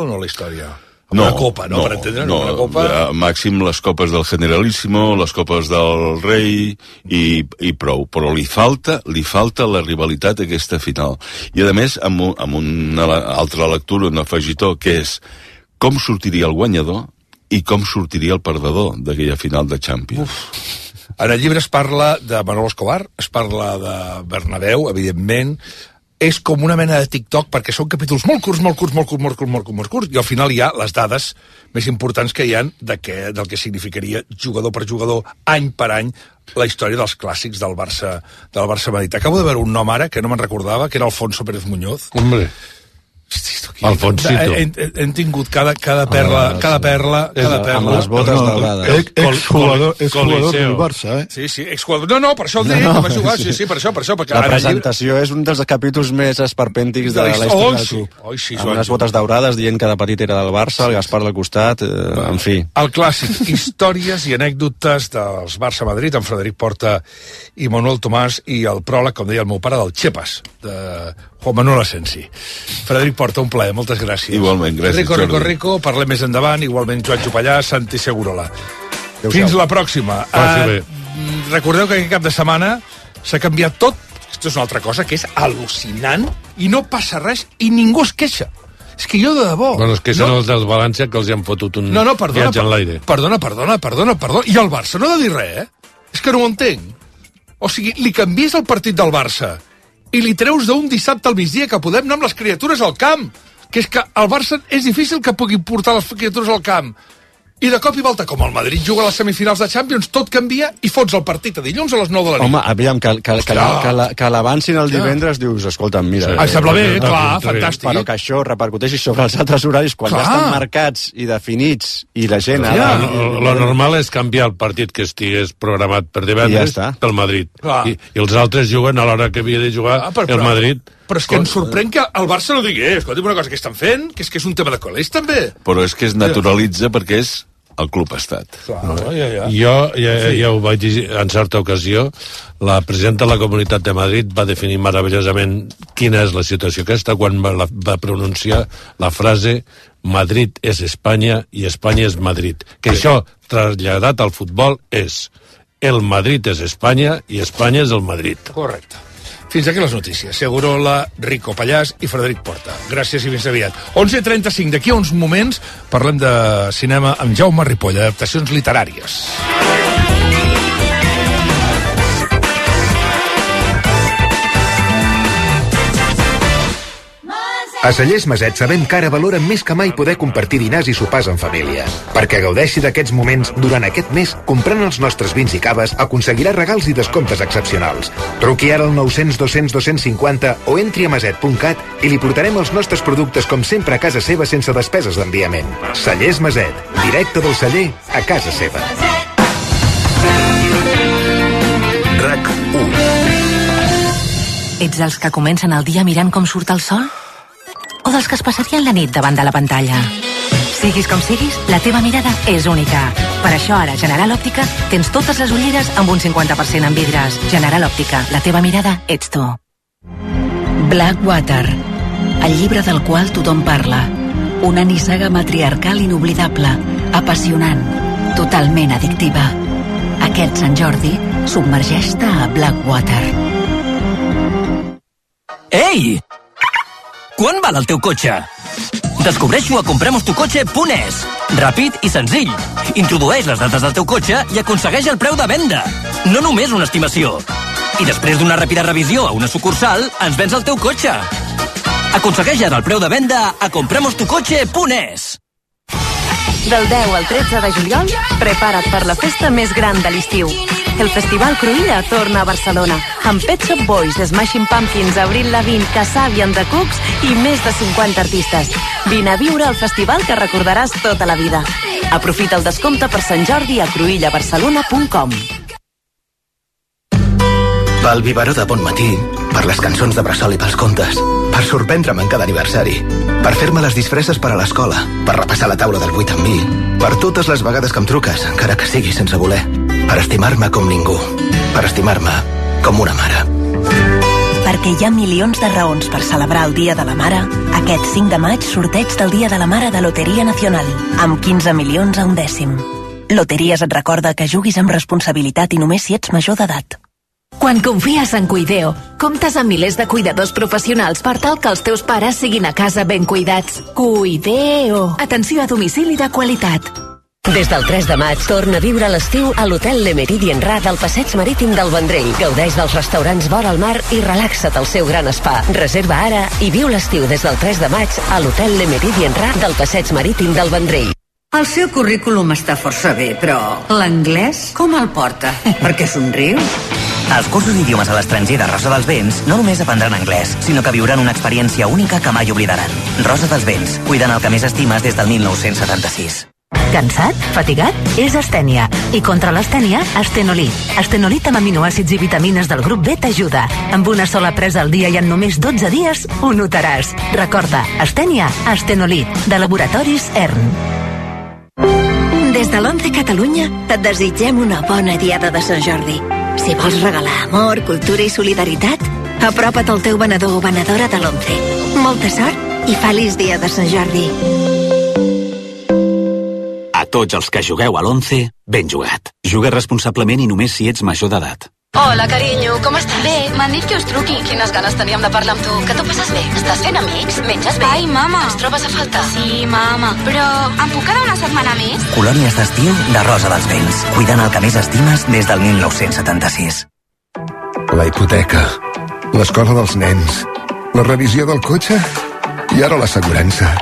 no la història? Una copa, no? Per entendre'ns, una copa... Màxim les copes del Generalíssimo, les copes del Rei i prou. Però li falta la rivalitat a aquesta final. I a més, amb una altra lectura, un afegitó, que és com sortiria el guanyador i com sortiria el perdedor d'aquella final de Champions. En el llibre es parla de Manolo Escobar, es parla de Bernabéu, evidentment. És com una mena de TikTok, perquè són capítols molt curts, i al final hi ha les dades més importants que hi ha del que significaria jugador per jugador, any per any, la història dels clàssics del Barça Madrid. Acabo de veure un nom ara que no me'n recordava, que era Alfonso Pérez Muñoz. Hombre. Alfonsito. Hem tingut cada perla amb les botes daurades. Exjugador del Barça, Sí, exjugador. No, per això el dic, que va jugar, sí, per això. La presentació és un dels capítols més esperpèntics de la història del club. Amb unes botes daurades dient que de petit era del Barça, el Gaspar del costat, en fi. El clàssic, històries i anècdotes dels Barça-Madrid, amb Frederic Porta i Manuel Tomàs, i el pròleg, com deia el meu pare, del Chepas, de Juan Manuel Asensi. Frederic Porta, un plaer, moltes gràcies. Igualment, gràcies, Jordi. Rico, parlem més endavant, igualment Joan Jopallà, Santi Segurola. Fins la pròxima. Recordeu que aquest cap de setmana s'ha canviat tot. Això és una altra cosa que és al·lucinant i no passa res i ningú es queixa. És que jo, de debò... Bueno, és que són els del València que els hi han fotut un viatge en l'aire. Perdona. I el Barça no ha de dir res, És que no ho entenc. O sigui, li canvies el partit del Barça i li treus d'un dissabte al migdia que podem anar amb les criatures al camp. Que és que al Barça és difícil que pugui portar les criatures al camp. I de cop i volta, com el Madrid juga a les semifinals de Champions, tot canvia i fots el partit a dilluns a les 9 de la nit. Home, aviam, que l'avancin el divendres, dius, escolta'm, mira... Em sembla bé, clar, fantàstic. Però que això repercuteixi sobre els altres horaris quan ja estan marcats i definits i la gent... Lo normal és canviar el partit que estigués programat per divendres pel Madrid. I els altres juguen a l'hora que havia de jugar el Madrid. Però és que em sorprèn que el Barça no digui, escolta'm una cosa, que estan fent? Que és un tema de col·legis, també. Però és que es naturalitza perquè és el club estat. Jo ja ho vaig dir en certa ocasió, la presidenta de la Comunitat de Madrid va definir meravellosament quina és la situació aquesta quan va pronunciar la frase Madrid és Espanya i Espanya és Madrid. Que això, traslladat al futbol, és el Madrid és Espanya i Espanya és el Madrid. Correcte. Fins aquí les notícies. Segurola, Rico Pallàs i Frederic Porta. Gràcies i fins aviat. 11:35. D'aquí a uns moments parlem de cinema amb Jaume Ripoll, adaptacions literàries. A Cellers Maset sabem que ara valoren més que mai poder compartir dinars i sopars en família. Perquè gaudeixi d'aquests moments durant aquest mes, comprant els nostres vins i caves, aconseguirà regals i descomptes excepcionals. Truqui ara al 900 200 250 o entri a maset.cat i li portarem els nostres productes com sempre a casa seva sense despeses d'enviament. Cellers Maset, directe del celler a casa seva. RAC 1. Ets dels que comencen el dia mirant com surt el sol? O dels que es passarien la nit davant de la pantalla? Siguis com siguis, la teva mirada és única. Per això ara a General Òptica tens totes les ulleres amb un 50% en vidres. General Òptica, la teva mirada ets tu. Blackwater, el llibre del qual tothom parla. Una nissaga matriarcal inoblidable, apassionant, totalment addictiva. Aquest Sant Jordi, submergeix-te a Blackwater. Ei! Quan val el teu cotxe? Descobreix-ho a compremostucotxe.es. Ràpid i senzill. Introdueix les dades del teu cotxe i aconsegueix el preu de venda. No només una estimació. I després d'una ràpida revisió a una sucursal, ens vens el teu cotxe. Aconsegueix ara el preu de venda a compremostucotxe.es. Del 10 al 13 de juliol, prepara't per la festa més gran de l'estiu. El Festival Cruïlla torna a Barcelona, amb Pet Shop Boys, The Smashing Pumpkins, Avril Lavigne, Kasabian, The Cooks i més de 50 artistes. Vine a viure el festival que recordaràs tota la vida. Aprofita el descompte per Sant Jordi a cruïllabarcelona.com. Pel biberó de bon matí, per les cançons de bressol i pels contes, per sorprendre'm en cada aniversari, per fer-me les disfresses per a l'escola, per repassar la taula del 8 amb mi, per totes les vegades que em truques, encara que sigui sense voler, per estimar-me com ningú, per estimar-me com una mare. Perquè hi ha milions de raons per celebrar el Dia de la Mare, aquest 5 de maig sorteig del Dia de la Mare de Loteria Nacional, amb 15 milions a un dècim. Loteries et recorda que juguis amb responsabilitat i només si ets major d'edat. Quan confies en Cuideo, comptes amb milers de cuidadors professionals per tal que els teus pares siguin a casa ben cuidats. Cuideo. Atenció a domicili de qualitat. Des del 3 de maig torna a viure l'estiu a l'Hotel Le Méridien Ra del Passeig Marítim del Vendrell. Gaudeix dels restaurants vora el mar i relaxa't al seu gran spa. Reserva ara i viu l'estiu des del 3 de maig a l'Hotel Le Méridien Ra del Passeig Marítim del Vendrell. El seu currículum està força bé, però l'anglès com el porta? Per què somriu? Als cursos d'idiomes a l'estranger de Rosa dels Vents no només aprendran anglès, sinó que viuran una experiència única que mai oblidaran. Rosa dels Vents, cuidant el que més estimes des del 1976. Cansat? Fatigat? És astènia. I contra l'astènia, Astenolit. Astenolit amb aminoàcids i vitamines del grup B t'ajuda. Amb una sola presa al dia i en només 12 dies ho notaràs. Recorda, astènia, Astenolit, de Laboratoris ERN. Des de l'11 Catalunya et desitgem una bona diada de Sant Jordi. Si vols regalar amor, cultura i solidaritat, apropa't al teu venedor o venedora de l'11. Molta sort i feliç dia de Sant Jordi. A tots els que jugueu a l'11, ben jugat. Juga responsablement i només si ets major d'edat. Hola, carinyo, com estàs? Bé, m'han dit que us truqui. Quines ganes teníem de parlar amb tu. Que t'ho passes bé? Estàs fent amics? Menges bé? Ai, mama. Ens trobes a faltar? Sí, mama. Però em puc quedar una setmana més? Colònies d'estiu de Rosa dels Vents. Cuidant el que més estimes des del 1976. La hipoteca, l'escola dels nens, la revisió del cotxe i ara l'assegurança.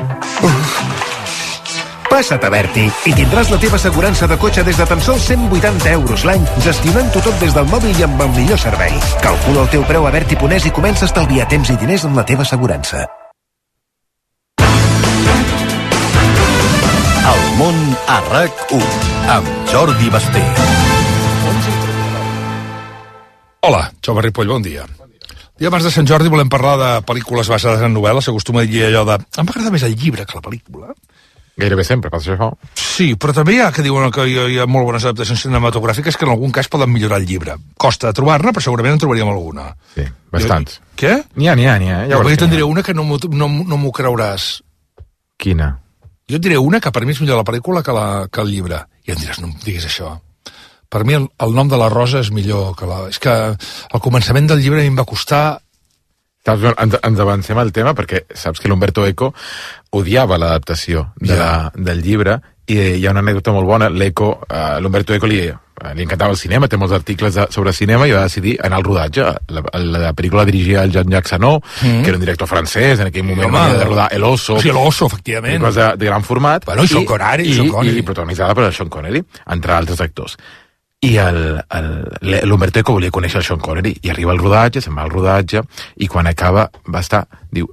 Passa't a Berti i tindràs la teva assegurança de cotxe des de tan sols 180 euros l'any, gestionant-ho tot des del mòbil i amb el millor servei. Calcula el teu preu a Berti.es i comença a estalviar temps i diners en la teva assegurança. El món a RAC1 amb Jordi Basté. Hola, Jaume Ripoll, bon dia. I abans de Sant Jordi volem parlar de pel·lícules basades en novel·les. S'acostuma a dir allò de... Em m'agrada més el llibre que la pel·lícula. Gairebé sempre passa això. Sí, però també hi ha que diuen que hi ha molt bones adaptacions cinematogràfiques que en algun cas poden millorar el llibre. Costa de trobar-ne, però segurament en trobaríem alguna. Sí, bastants. Què? N'hi ha. Jo te'n diré una que no m'ho creuràs. Quina? Jo et diré una que per mi és millor la pel·lícula que el llibre. I em diràs, no em diguis això. Per mi el nom de la Rosa és millor que la... És que al començament del llibre a mi em va costar... Ens avancem al tema perquè saps que l'Umberto Eco odiava l'adaptació del llibre i hi ha una anècdota molt bona. L'Umberto Eco li encantava el cinema, té molts articles sobre cinema i va decidir anar al rodatge. La pel·lícula la dirigia el Jean-Jacques Sanó, que era un director francès, en aquell moment havia de rodar El Oso. Sí, El Oso, efectivament. Una cosa de gran format. Bueno, i Sean Connery. I protagonitzada per Sean Connery, entre altres actors. I l'Umberto Eco volia conèixer el Sean Connery i arriba al rodatge, se'n va al rodatge i quan acaba va estar, diu,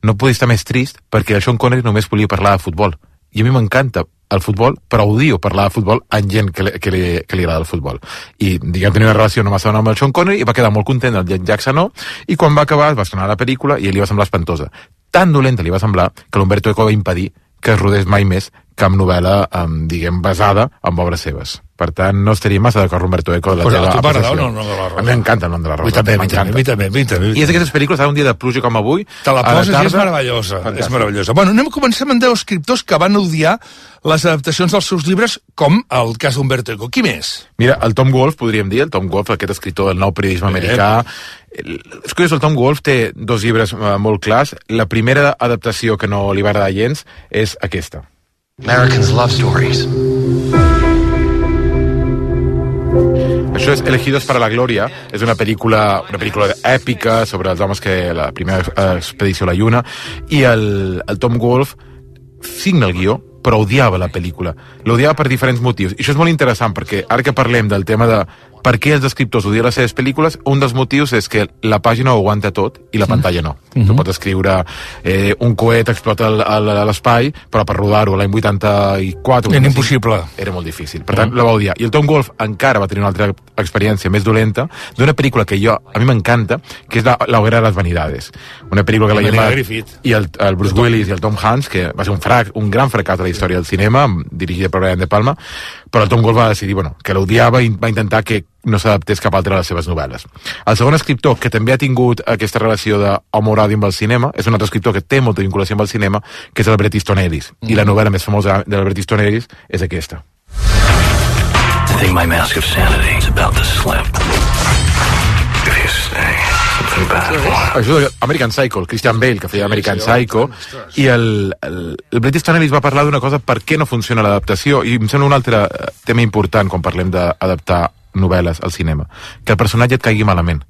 no podia estar més trist perquè el Sean Connery només volia parlar de futbol i a mi m'encanta el futbol, però odio parlar de futbol amb gent que li agrada el futbol. I diguem, tenia una relació no massa bona amb el Sean Connery i va quedar molt content el Jean-Jacques Sanó i quan va acabar es va estrenar la pel·lícula i li va semblar espantosa. Tan dolenta li va semblar que l'Umberto Eco va impedir que es rodés mai més cap novel·la, diguem, basada en obres seves. Per tant, no estaria massa d'acord Umberto Eco de la teva apreciació. A mi m'encanta el nom de la Rosa. A mi també. I és d'aquestes pel·lícules, ara un dia de pluja com avui... Te la poses i és meravellosa. És meravellosa. Bueno, comencem amb 10 escriptors que van odiar les adaptacions dels seus llibres, com el cas d'Umberto Eco. Qui més? Mira, el Tom Wolfe, podríem dir, el Tom Wolfe, aquest escriptor del nou periodisme americà. És curiós, el Tom Wolfe té 2 llibres molt clars. La primera adaptació que no li va agradar gens és aquesta. Americans love stories. Això és Elegidos para la Gloria, és una pel·lícula èpica sobre els homes que la primera expedició a la Lluna, i el Tom Wolfe signa el guió, però odiava la pel·lícula. L'odiava per diferents motius. I això és molt interessant, perquè ara que parlem del tema de per què els escriptors odien les seves pel·lícules, un dels motius és que la pàgina ho aguanta tot i la pantalla no. Tu pots escriure un coet explota a l'espai, però per rodar-ho l'any 84... Era impossible. Era molt difícil. Per tant, la va odiar. I el Tom Wolfe encara va tenir una altra experiència més dolenta d'una pel·lícula que a mi m'encanta, que és La Hoguera de las Vanidades. Una pel·lícula que la Gemma i el Bruce Willis i el Tom Hanks, que va ser un gran fracàs de la història del cinema, dirigida per Brian De Palma, però el Tom Wolfe va decidir que l'odiava i va intentar que no s'adaptés cap altra de les seves novel·les. El segon escriptor que també ha tingut aquesta relació d'amor-odi amb el cinema és un altre escriptor que té molta vinculació amb el cinema, que és el Bret Easton Ellis. I la novel·la més famosa de Bret Easton Ellis és aquesta. I think my mask of sanity is about to slip. If you stay, something bad will happen. Això és American Psycho, el Christian Bale, que feia American Psycho, i el Bret Easton Ellis va parlar d'una cosa per què no funciona l'adaptació, i em sembla un altre tema important quan parlem d'adaptar novel·les al cinema, que el personatge et caigui malament.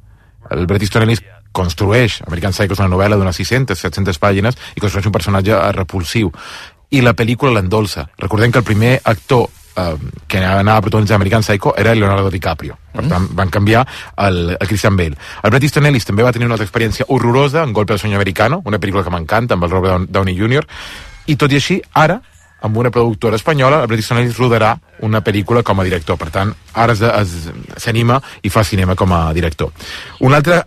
El Bret Easton Ellis construeix, American Psycho és una novel·la d'unes 600-700 pàgines, i construeix un personatge repulsiu, i la pel·lícula l'endolça. Recordem que el primer actor que anava a protagonitzar American Psycho era Leonardo DiCaprio. Per tant, van canviar el Christian Bale. El Bret Easton Ellis també va tenir una altra experiència horrorosa en Golpe al sueño americano, una pel·lícula que m'encanta, amb el Robert Downey Jr., i tot i així, ara, amb una productora espanyola, el Bret Easton Ellis rodarà una pel·lícula com a director. Per tant, ara s'anima i fa cinema com a director. Un altre,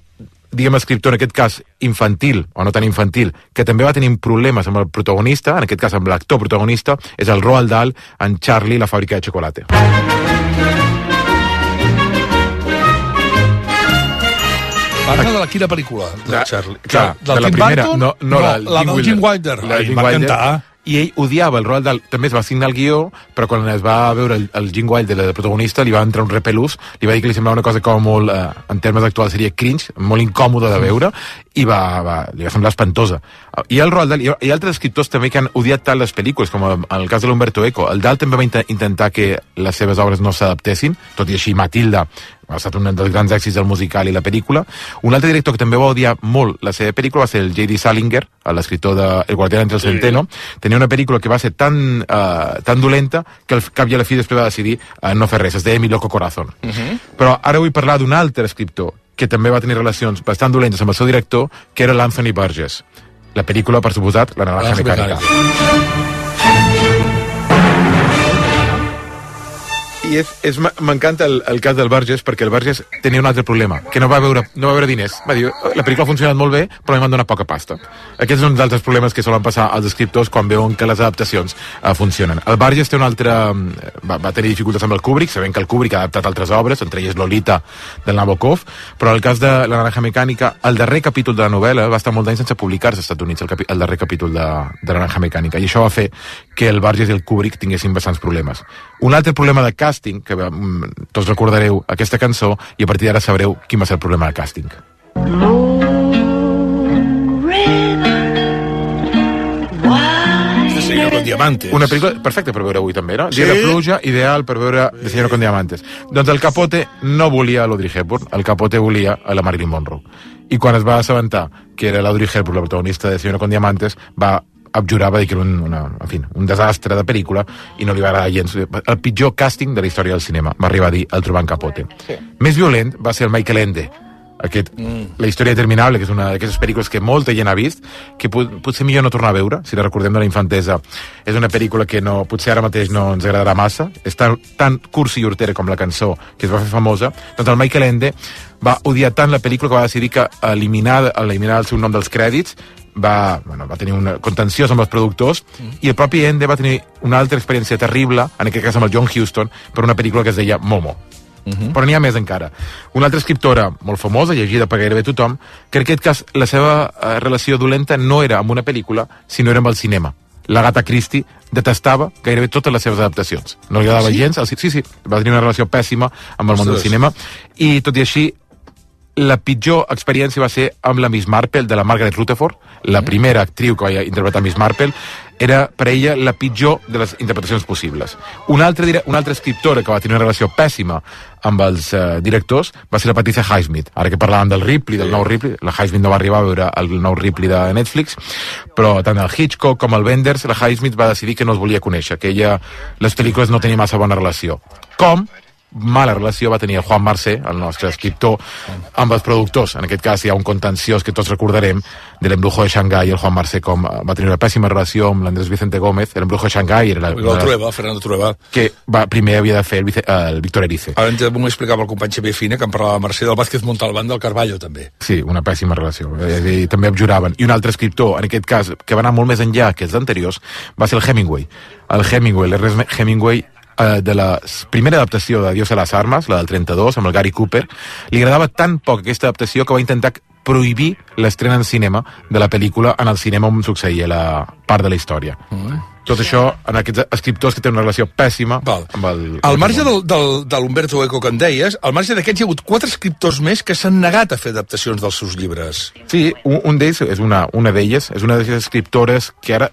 diguem, escriptor, en aquest cas infantil, o no tan infantil, que també va tenir problemes amb el protagonista, en aquest cas amb l'actor protagonista, és el Roald Dahl en Charlie, la fàbrica de xocolate. Parla de quina pel·lícula? De Charlie. Clar, de la primera. No, la del Gene Wilder. Va cantar. I ell odiava el Roald Dahl, també es va signar el guió, però quan es va veure el Gene Wilder, el protagonista, li va entrar un repelús, li va dir que li semblava una cosa com molt, en termes actuals seria cringe, molt incòmode de veure, i li va semblar espantosa. I el Roald Dahl, i altres escriptors també que han odiat tant les pel·lícules, com en el cas de l'Umberto Eco. El Dahl també va intentar que les seves obres no s'adaptessin, tot i així Matilda ha estat un dels grans èxits del musical i la pel·lícula. Un altre director que també va odiar molt la seva pel·lícula va ser el J.D. Salinger, l'escriptor de El guardián entre el centeno. Tenia una pel·lícula que va ser tan dolenta que al cap i a la fi després va decidir no fer res. Es deia Mi loco corazón. Però ara vull parlar d'un altre escriptor que també va tenir relacions bastant dolentes amb el seu director, que era l'Anthony Burgess. La pel·lícula, per suposat, La naranja mecànica. I m'encanta el cas del Burgess, perquè el Burgess tenia un altre problema, que no va veure diners. Va dir, la pel·lícula ha funcionat molt bé, però m'han donat poca pasta. Aquests són uns altres problemes que solen passar als escriptors quan veuen que les adaptacions funcionen. El Burgess té un altre... va tenir dificultats amb el Kubrick, sabent que el Kubrick ha adaptat altres obres, entre elles Lolita del Nabokov, però en el cas de La naranja mecànica, el darrer capítol de la novel·la va estar molt d'anys sense publicar-se als Estats Units, el darrer capítol de La naranja mecànica, i això va fer que el Burgess i el Kubrick tinguessin bastants problemes. Un altre problema de càsting, que tots recordareu aquesta cançó, i a partir d'ara sabreu quin va ser el problema de càsting. Señor con Diamantes. Una pel·lícula perfecta per veure avui també, no? Dia de pluja, ideal per veure de Señor con Diamantes. Doncs el Capote no volia l'Audrey Hepburn, el Capote volia a la Marilyn Monroe. I quan es va assabentar que era l'Audrey Hepburn la protagonista de Señor con Diamantes, va abjurar, va dir que era un desastre de pel·lícula i no li va agradar gens. El pitjor càsting de la història del cinema, va arribar a dir el trobant Capote. Més violent va ser el Michael Ende, La història interminable, que és una d'aquestes pel·lícules que molta gent ha vist, que potser millor no tornar a veure, si la recordem de la infantesa. És una pel·lícula que potser ara mateix no ens agradarà massa, és tan cursi i hortera com la cançó que es va fer famosa. Doncs el Michael Ende va odiar tant la pel·lícula que va decidir que eliminar el seu nom dels crèdits va tenir un contenciós amb els productors, i el propi Ende va tenir una altra experiència terrible, en aquest cas amb el John Huston, per una pel·lícula que es deia Momo. Però n'hi ha més encara. Una altra escriptora molt famosa, llegida per gairebé tothom, que en aquest cas la seva relació dolenta no era amb una pel·lícula, sinó era amb el cinema. L'Agatha Christie detestava gairebé totes les seves adaptacions. No li agradava gens. Sí, va tenir una relació pèssima amb el món del cinema, i tot i així la pitjor experiència va ser amb la Miss Marple de la Margaret Rutherford, la primera actriu que va interpretar Miss Marple. Era per ella la pitjor de les interpretacions possibles. Una altra escriptora que va tenir una relació pèssima amb els directors va ser la Patricia Highsmith. Ara que parlàvem del Ripley, del nou Ripley, la Highsmith no va arribar a veure el nou Ripley de Netflix, però tant el Hitchcock com el Wenders, la Highsmith va decidir que no els volia conèixer, que ella, les pel·lícules no tenia massa bona relació. Com mala relació va tenir el Juan Marsé, el nostre escriptor, amb els productors. En aquest cas hi ha un contenciós que tots recordarem de l'Embrujo de Xangai, el Juan Marsé com va tenir una pèssima relació amb l'Andrés Vicente Gómez. L'Embrujo de Xangai era Fernando Trueba, que primer havia de fer el Víctor Erice. Ara ens m'ho explicava el company Xavier Fina, que em parlava de Mercè del Vázquez Montalbán del Carballo, també. Sí, una pèssima relació. I també abjuraven. I un altre escriptor, en aquest cas, que va anar molt més enllà que els anteriors, va ser el Hemingway. L'Ernest Hemingway, de la primera adaptació de Dios a las armas, la del 32, amb el Gary Cooper, li agradava tan poc aquesta adaptació que va intentar prohibir l'estrena en cinema de la pel·lícula en el cinema on succeïa la part de la història. Tot això en aquests escriptors que tenen una relació pèssima amb el... Al marge de l'Umberto Eco que en deies, al marge d'aquests hi ha hagut 4 escriptors més que s'han negat a fer adaptacions dels seus llibres. Sí, un d'ells és una d'elles, és una d'aquestes escriptores que ara,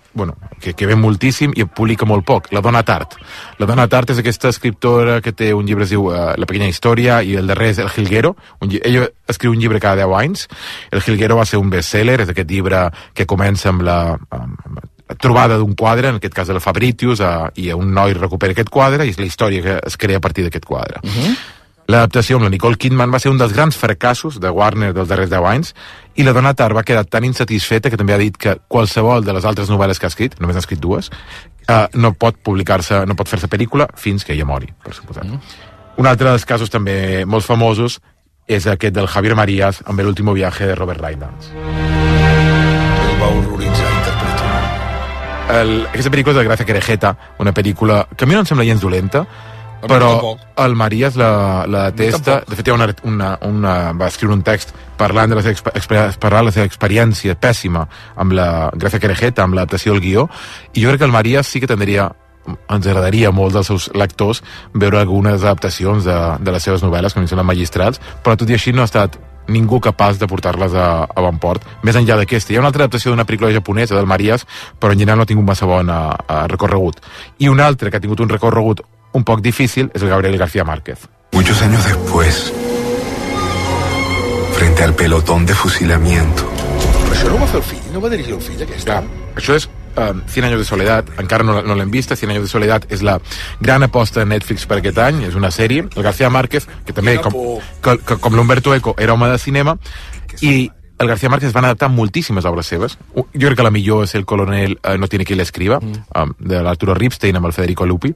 que ve moltíssim i publica molt poc, la Donna Tartt. La Donna Tartt és aquesta escriptora que té un llibre que es diu La pequeña història, i el darrer és El Jilguero. Ella escriu un llibre cada 10 anys. El Jilguero va ser un bestseller, és aquest llibre que comença amb la trobada d'un quadre, en aquest cas de la Fabritius, i un noi recupera aquest quadre, i és la història que es crea a partir d'aquest quadre. L'adaptació amb la Nicole Kidman va ser un dels grans fracassos de Warner dels darrers 10 anys, i la Donna Tartt va quedar tan insatisfeta que també ha dit que qualsevol de les altres novel·les que ha escrit, només n'ha escrit 2, no pot publicar-se, no pot fer-se pel·lícula fins que ella mori, per suposat. Un altre dels casos també molt famosos és aquest del Javier Marías amb El último viaje de Robert Rydance. El va horroritzar aquesta pel·lícula és de Gracia Querejeta, una pel·lícula que a mi no em sembla gens dolenta, però el Marías la detesta. De fet, va escriure un text parlant de la seva experiència pèssima amb la Gracia Querejeta, amb l'adaptació del guió, i jo crec que el Marías sí que ens agradaria molt dels seus lectors veure algunes adaptacions de les seves novel·les, que a mi semblen magistrals, però tot i així no ha estat ningú capaç de portar-les a bon port, més enllà d'aquesta. Hi ha una altra adaptació d'una pel·lícula japonesa, del Marías, però en general no ha tingut massa bon recorregut. I un altre que ha tingut un recorregut un poc difícil és el Gabriel García Márquez. Muchos años después, frente al pelotón de fusilamiento. Però això no ho va fer el fill? No va dirigir el fill, aquesta? Això és 100 años de soledad, encara no l'hem vista. 100 años de soledad és la gran aposta de Netflix per aquest any, és una sèrie. El García Márquez, que també, com l'Umberto Eco, era home de cinema, i el García Márquez van adaptar moltíssimes obres seves. Jo crec que la millor és El coronel no tiene quien l'escriba, de l'Arturo Ripstein amb el Federico Lupi,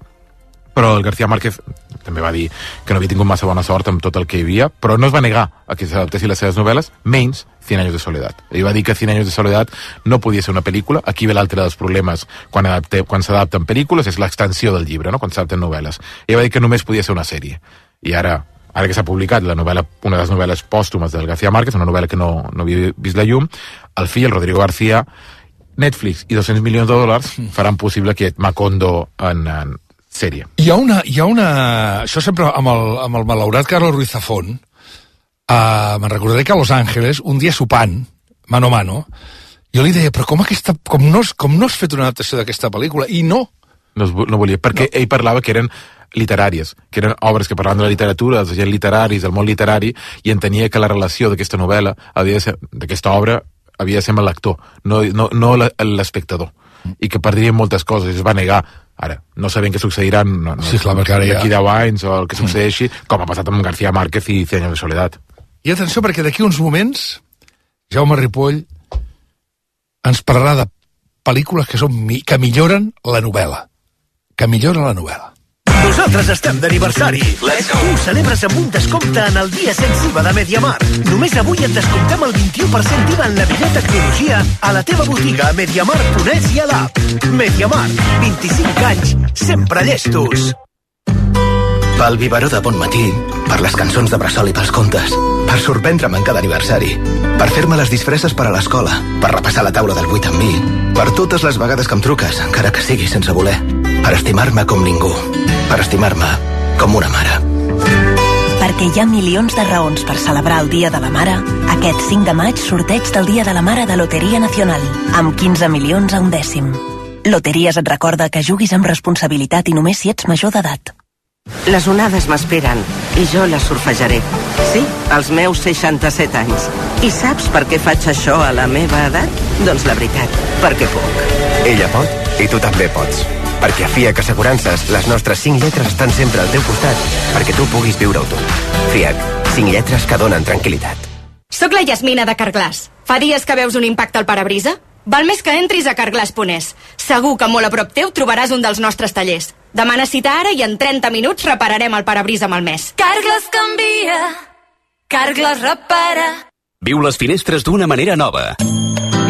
però el García Márquez també va dir que no havia tingut massa bona sort amb tot el que hi havia, però no es va negar a que s'adaptessin les seves novel·les, menys 100 años de soledad. Ell va dir que 100 años de soledad no podia ser una pel·lícula. Aquí ve l'altre dels problemes quan s'adapten pel·lícules, és l'extensió del llibre, no? Quan s'adapten novel·les. Ell va dir que només podia ser una sèrie. I ara que s'ha publicat la novel·la, una de les novel·les pòstumes del García Márquez, una novel·la que no havia vist la llum, el fill, el Rodrigo García, Netflix i $200 milions faran possible aquest Macondo en sèrie. Hi ha una... Això sempre amb el malaurat Carlos Ruiz Zafón, me'n recordaré que a Los Angeles, un dia sopant, mano a mano, jo li deia, però com no has fet una adaptació d'aquesta pel·lícula? I no volia, perquè ell parlava que eren literàries, que eren obres que parlaven de la literatura, dels agents literaris, del món literari, i entenia que la relació d'aquesta novel·la, d'aquesta obra, havia de ser amb el lector, no l'espectador, i que perdrien moltes coses, i es va negar. Ara, no sabem què succeiran d'aquí 10 anys o el que succeeixi, com ha passat amb García Márquez i 100 años de soledad. I atenció, perquè d'aquí uns moments Jaume Ripoll ens parlarà de pel·lícules que milloren la novel·la. Que milloren la novel·la. Nosaltres estem d'aniversari. Tu celebres amb un descompte en el dia sense IVA de Mediamar. Només avui et descomptem el 21% d'IVA en la millor tecnologia a la teva botiga a mediamar.es i a l'app. Mediamar, 25 anys, sempre llestos. Pel biberó de bon matí, per les cançons de bressol i pels contes, per sorprendre'm en cada aniversari, per fer-me les disfresses per a l'escola, per repassar la taula del 8 amb mi, per totes les vegades que em truques, encara que sigui sense voler, per estimar-me com ningú, per estimar-me com una mare. Perquè hi ha milions de raons per celebrar el Dia de la Mare, aquest 5 de maig sorteig del Dia de la Mare de Loteria Nacional, amb 15 milions a un dècim. Loteries et recorda que juguis amb responsabilitat i només si ets major d'edat. Les onades m'esperen i jo les surfejaré. Sí, als meus 67 anys. I saps per què faig això a la meva edat? Doncs la veritat, perquè puc. Ella pot i tu també pots. Perquè a FIAC Assegurances les nostres 5 lletres estan sempre al teu costat perquè tu puguis viure-ho tot. FIAC, 5 lletres que donen tranquil·litat. Soc la Yasmina de Carglass. Fa dies que veus un impacte al parabrisa? Val més que entris a carglass.es. Segur que molt a prop teu trobaràs un dels nostres tallers. Demana cita ara i en 30 minuts repararem el parabrisa malmès. Carglass canvia, Carglass repara. Viu les finestres d'una manera nova.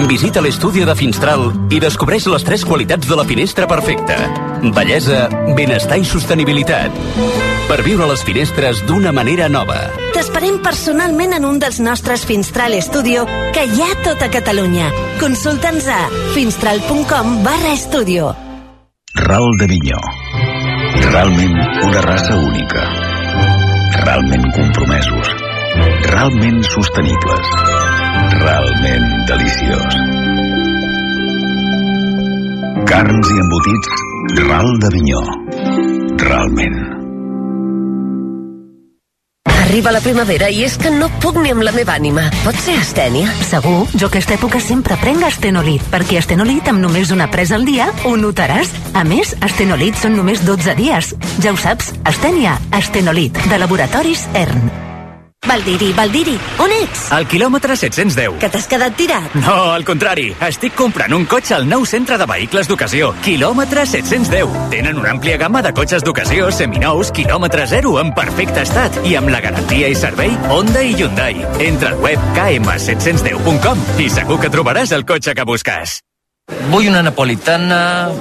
Visita l'estudi de Finstral i descobreix les 3 qualitats de la finestra perfecta. Bellesa, benestar i sostenibilitat. Per viure les finestres d'una manera nova. T'esperem personalment en un dels nostres Finstral Studio que hi ha a tota Catalunya. Consulta'ns a finstral.com/estudio. Ral de Minyó. Realment una raça única. Realment compromesos. Realment sostenibles. Realment deliciós. Carns i embotits Ral de Minyó. Realment. Arriba la primavera i és que no puc ni amb la meva ànima. Pot ser astènia? Segur, jo aquesta època sempre prenc Astenolit, perquè Astenolit amb només una presa al dia ho notaràs. A més, Astenolit són només 12 dies. Ja ho saps, astènia, Astenolit, de Laboratoris ERN. Valdiri, on ets? Al quilòmetre 710. Que t'has quedat tirat? No, al contrari. Estic comprant un cotxe al nou centre de vehicles d'ocasió. Quilòmetre 710. Tenen una àmplia gamma de cotxes d'ocasió, seminous, quilòmetre zero, en perfecte estat. I amb la garantia i servei Honda i Hyundai. Entra al web km710.com i segur que trobaràs el cotxe que busques. Vull una napolitana...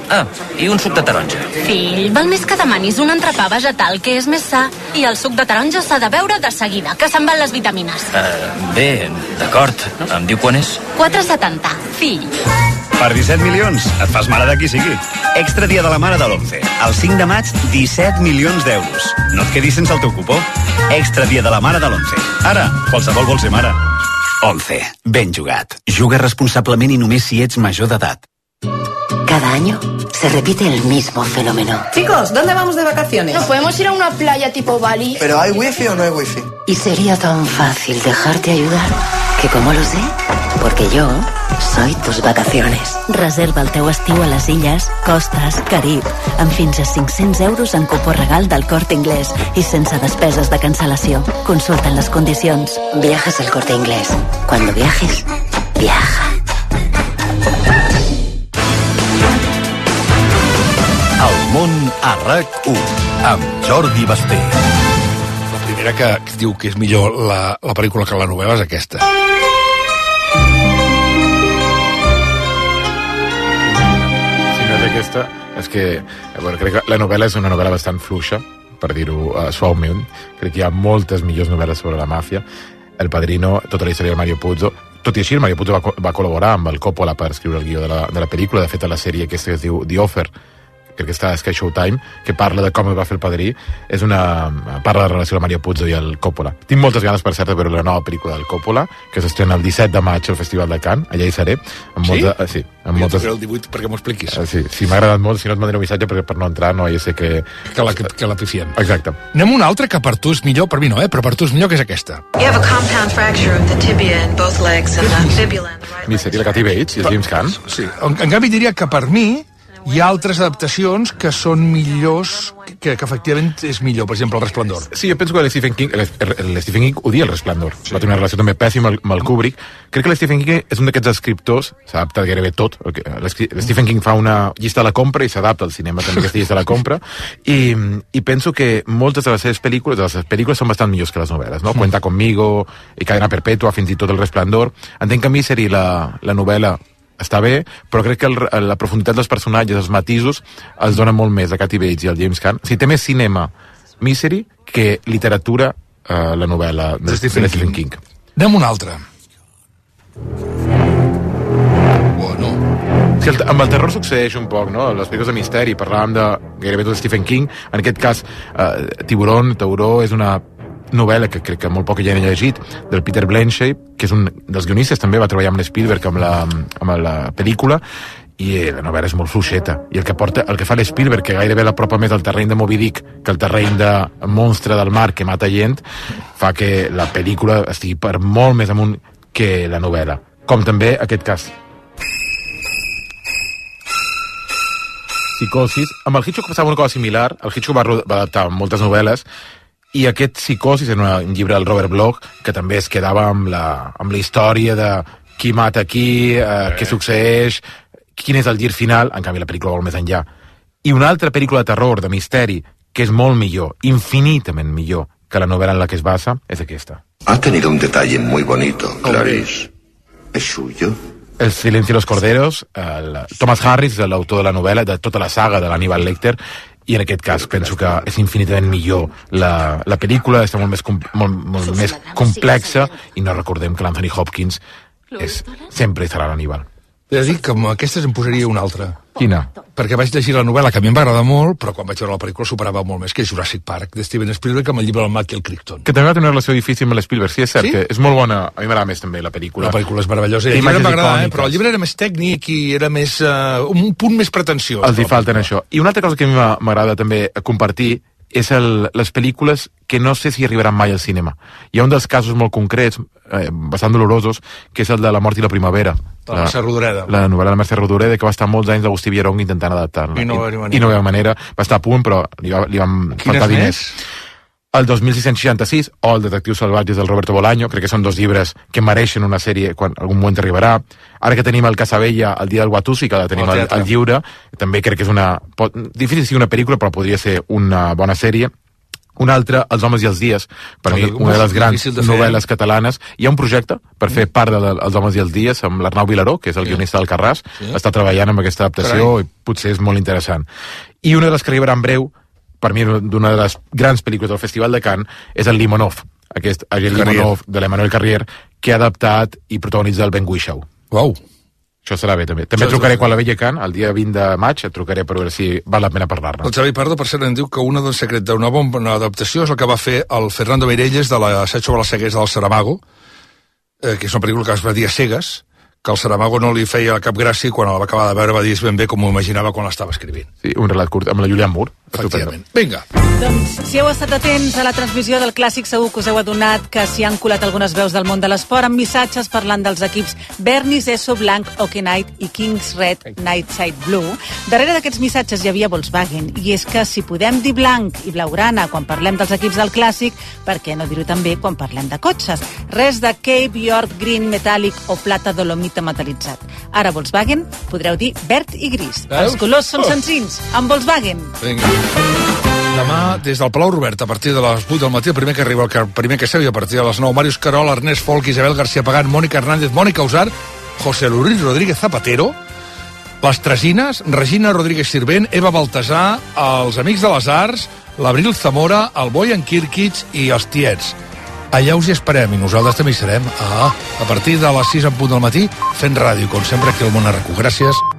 i un suc de taronja. Fill, val més que demanis un entrepà vegetal, que és més sa. I el suc de taronja s'ha de beure de seguida, que se'n van les vitamines. Bé, d'acord. Em diu quan és? 4,70. Fill. Per 17 milions, et fas mare de qui sigui. Extra dia de la mare de l'11. El 5 de maig, 17 milions d'euros. No et quedis sense el teu cupó. Extra dia de la mare de l'11. Ara, qualsevol vol ser mare. 11. Ben jugat. Juga responsablement i només si ets major d'edat. Cada año se repite el mismo fenómeno. Chicos, ¿dónde vamos de vacaciones? ¿No podemos ir a una playa tipo Bali? ¿Pero hay wifi o no hay wifi? Y sería tan fácil dejarte ayudar que como lo sé, porque yo soy tus vacaciones. Reserva el teu estiu a les Illes, Costes, Carib, amb fins a 500 euros en cupó regal del Corte Inglés i sense despeses de cancel·lació. Consulten les condicions. Viajes al Corte Inglés. Cuando viajes, viaja. El món a RAC1 amb Jordi Basté. La primera que diu que és millor la pel·lícula que la novel·la és aquesta. Si no és aquesta, és que bueno, crec que la novel·la és una novel·la bastant fluixa, per dir-ho suaument. Crec que hi ha moltes millors novel·les sobre la màfia. El Padrino, tota la història de Mario Puzo. Tot i així, el Mario Puzo va col·laborar amb el Coppola per escriure el guió de la pel·lícula. De fet, a la sèrie aquesta que es diu The Offer, crec que està a Sky Showtime, que parla de com es va fer el Padrí, parla de la relació de Mario Puzo i el Coppola. Tinc moltes ganes, per cert, de veure la nova pel·lícula del Coppola, que s'estrena el 17 de maig al Festival de Cannes, allà hi seré. Sí? Amb moltes... el 18 perquè m'ho expliquis. Sí, m'ha agradat molt, si no et mandaré un missatge perquè per no entrar no ja sé que... Que la pifiem. Exacte. Anem a una altra que per tu és millor, per mi no, però per tu és millor, que és aquesta. You have a compound fracture of the tibia in both legs and the fibula in the right leg. Seria la Kathy Bates i el James Caan. Sí. En canvi diria que per mi hi ha altres adaptacions que són millors, que efectivament és millor, per exemple, El Resplendor. Sí, jo penso que l'Stephen King odia El Resplendor. Sí. Va tenir una relació també pèssima amb el Kubrick. Crec que l'Stephen King és un d'aquests escriptors, s'adapta gairebé tot. L'Stephen King fa una llista de la compra i s'adapta al cinema també aquesta llista de la compra. I penso que moltes de les seves pel·lícules són bastant millors que les novel·les, no? Cuenta conmigo, i Cadena Perpètua, fins i tot El Resplendor. Entenc que a Misery la novel·la està bé, però crec que la profunditat dels personatges, els matisos, els dona molt més a Kathy Bates i al James Caan. O sigui, té més cinema Misery que literatura la novel·la de Stephen King. Anem a una altra. Bueno. Sí, amb el terror succeeix un poc, no? Les pel·lícules de misteri, parlàvem de gairebé tot Stephen King. En aquest cas, Tauró és una novel·la que crec que molt poc ja he llegit, del Peter Blanchett, que és un dels guionistes, també va treballar amb l'Spielberg amb la pel·lícula, i la novel·la és molt fluixeta, i el que fa l'Spielberg, que gairebé l'apropa més al terreny de Moby Dick que al terreny de monstre del mar que mata gent, fa que la pel·lícula estigui per molt més amunt que la novel·la, com també aquest cas. Psicosis. Amb el Hitchcock passava una cosa similar. El Hitchcock va adaptar moltes novel·les, i aquest Psicosis és un llibre del Robert Bloch que també es quedava amb la història de qui mata qui, què succeeix, quin és el gir final. En canvi la pel·lícula vol més enllà. I una altra pel·lícula de terror, de misteri, que és molt millor, infinitament millor que la novel·la en la que es basa, és aquesta. Ha tenido un detalle muy bonito, Clarice. ¿Es suyo? El silencio de los corderos. Thomas Harris, l'autor de la novel·la, de tota la saga de l'Hannibal Lecter, i en aquest cas penso que és infinitament millor la pel·lícula, està molt més complexa, i no recordem que l'Anthony Hopkins sempre serà l'Hannibal. He de dir que amb aquestes em posaria una altra. Quina? Perquè vaig llegir la novel·la, que a mi em va agradar molt, però quan vaig veure la pel·lícula superava molt més, que és Jurassic Park, de Steven Spielberg, amb el llibre del Michael Crichton. Que també va tenir una relació difícil amb l'Spielberg, sí, és cert, que és molt bona. A mi m'agrada més també la pel·lícula. La pel·lícula és meravellosa. El llibre m'agrada, però el llibre era més tècnic i era més un punt més pretensiós. Els hi falten això. I una altra cosa que a mi m'agrada també compartir és les pel·lícules que no sé si arribaran mai al cinema. Hi ha un dels casos molt concrets, bastant dolorosos, que és el de La mort i la primavera. La Mercè Rodoreda. La novel·la de Mercè Rodoreda, que va estar molts anys d'Agustí Villarong intentant adaptar-la. I no va haver manera. Va estar a punt, però li van faltar diners. El 2666, o El detectiu salvatges del Roberto Bolaño, crec que són dos llibres que mereixen una sèrie quan algun moment arribarà. Ara que tenim el Casabella, El dia del Watusi, que tenim al lliure, també crec que és difícil sigui una pel·lícula, però podria ser una bona sèrie. Un altre, Els homes i els dies, per mi una de les grans novel·les catalanes. Hi ha un projecte per fer part dels homes i els dies amb l'Arnau Vilaró, que és el guionista del Carràs, està treballant amb aquesta adaptació i potser és molt interessant. I una de les que arribarà en breu, per mi d'una de les grans pel·lícules del Festival de Cannes, és el Limonov, aquest agent Limonov de l'Emmanuel Carrier, que ha adaptat i protagonitza el Ben Whishaw. Uau! Això serà bé, també. També trucaré quan la vegi a Cannes, el dia 20 de maig, et trucaré per veure si val la pena parlar-ne. El Xavi Pardo, per cert, em diu que una del secret d'una bona adaptació és el que va fer el Fernando Meirelles de l'assaig sobre la ceguesa del Saramago, que és una pel·lícula que es va dir a cegues, que el Saramago no li feia cap gràcia i quan el va acabar de veure va dir ben bé com m'ho imaginava quan l'estava escrivint. Sí, un relat curt amb la Julianne Moore. Efectivament. Vinga. Doncs, si heu estat atents a la transmissió del Clàssic, segur que us heu adonat que s'hi han colat algunes veus del món de l'esport amb missatges parlant dels equips Bernis, Esso, Blanc, Hockey Night i Kings Red, Nightside Blue. Darrere d'aquests missatges hi havia Volkswagen, i és que si podem dir blanc i blaugrana quan parlem dels equips del Clàssic, per què no dir-ho també quan parlem de cotxes? Res de Cape, York, Green, Metallic o Plata Dolomita metal·litzat. Ara Volkswagen podreu dir verd i gris. Veus? Els colors són senzills, amb Volkswagen. Vinga. Demà, des del Palau Robert, a partir de les 8 del matí, el primer que arriba, el primer que seu, i a partir de les 9, Màrius Carol, Ernest Folk, Isabel García Pagán, Mònica Hernández, Mònica Usar, José Luis Rodríguez Zapatero, les Tresines, Regina Rodríguez Sirvent, Eva Baltasar, els Amics de les Arts, l'Abril Zamora, el Boyan Kirkic i els Tiets. Allà us hi esperem i nosaltres també hi serem a partir de les 6 en punt del matí fent ràdio, com sempre aquí al Món Arraco. Gràcies.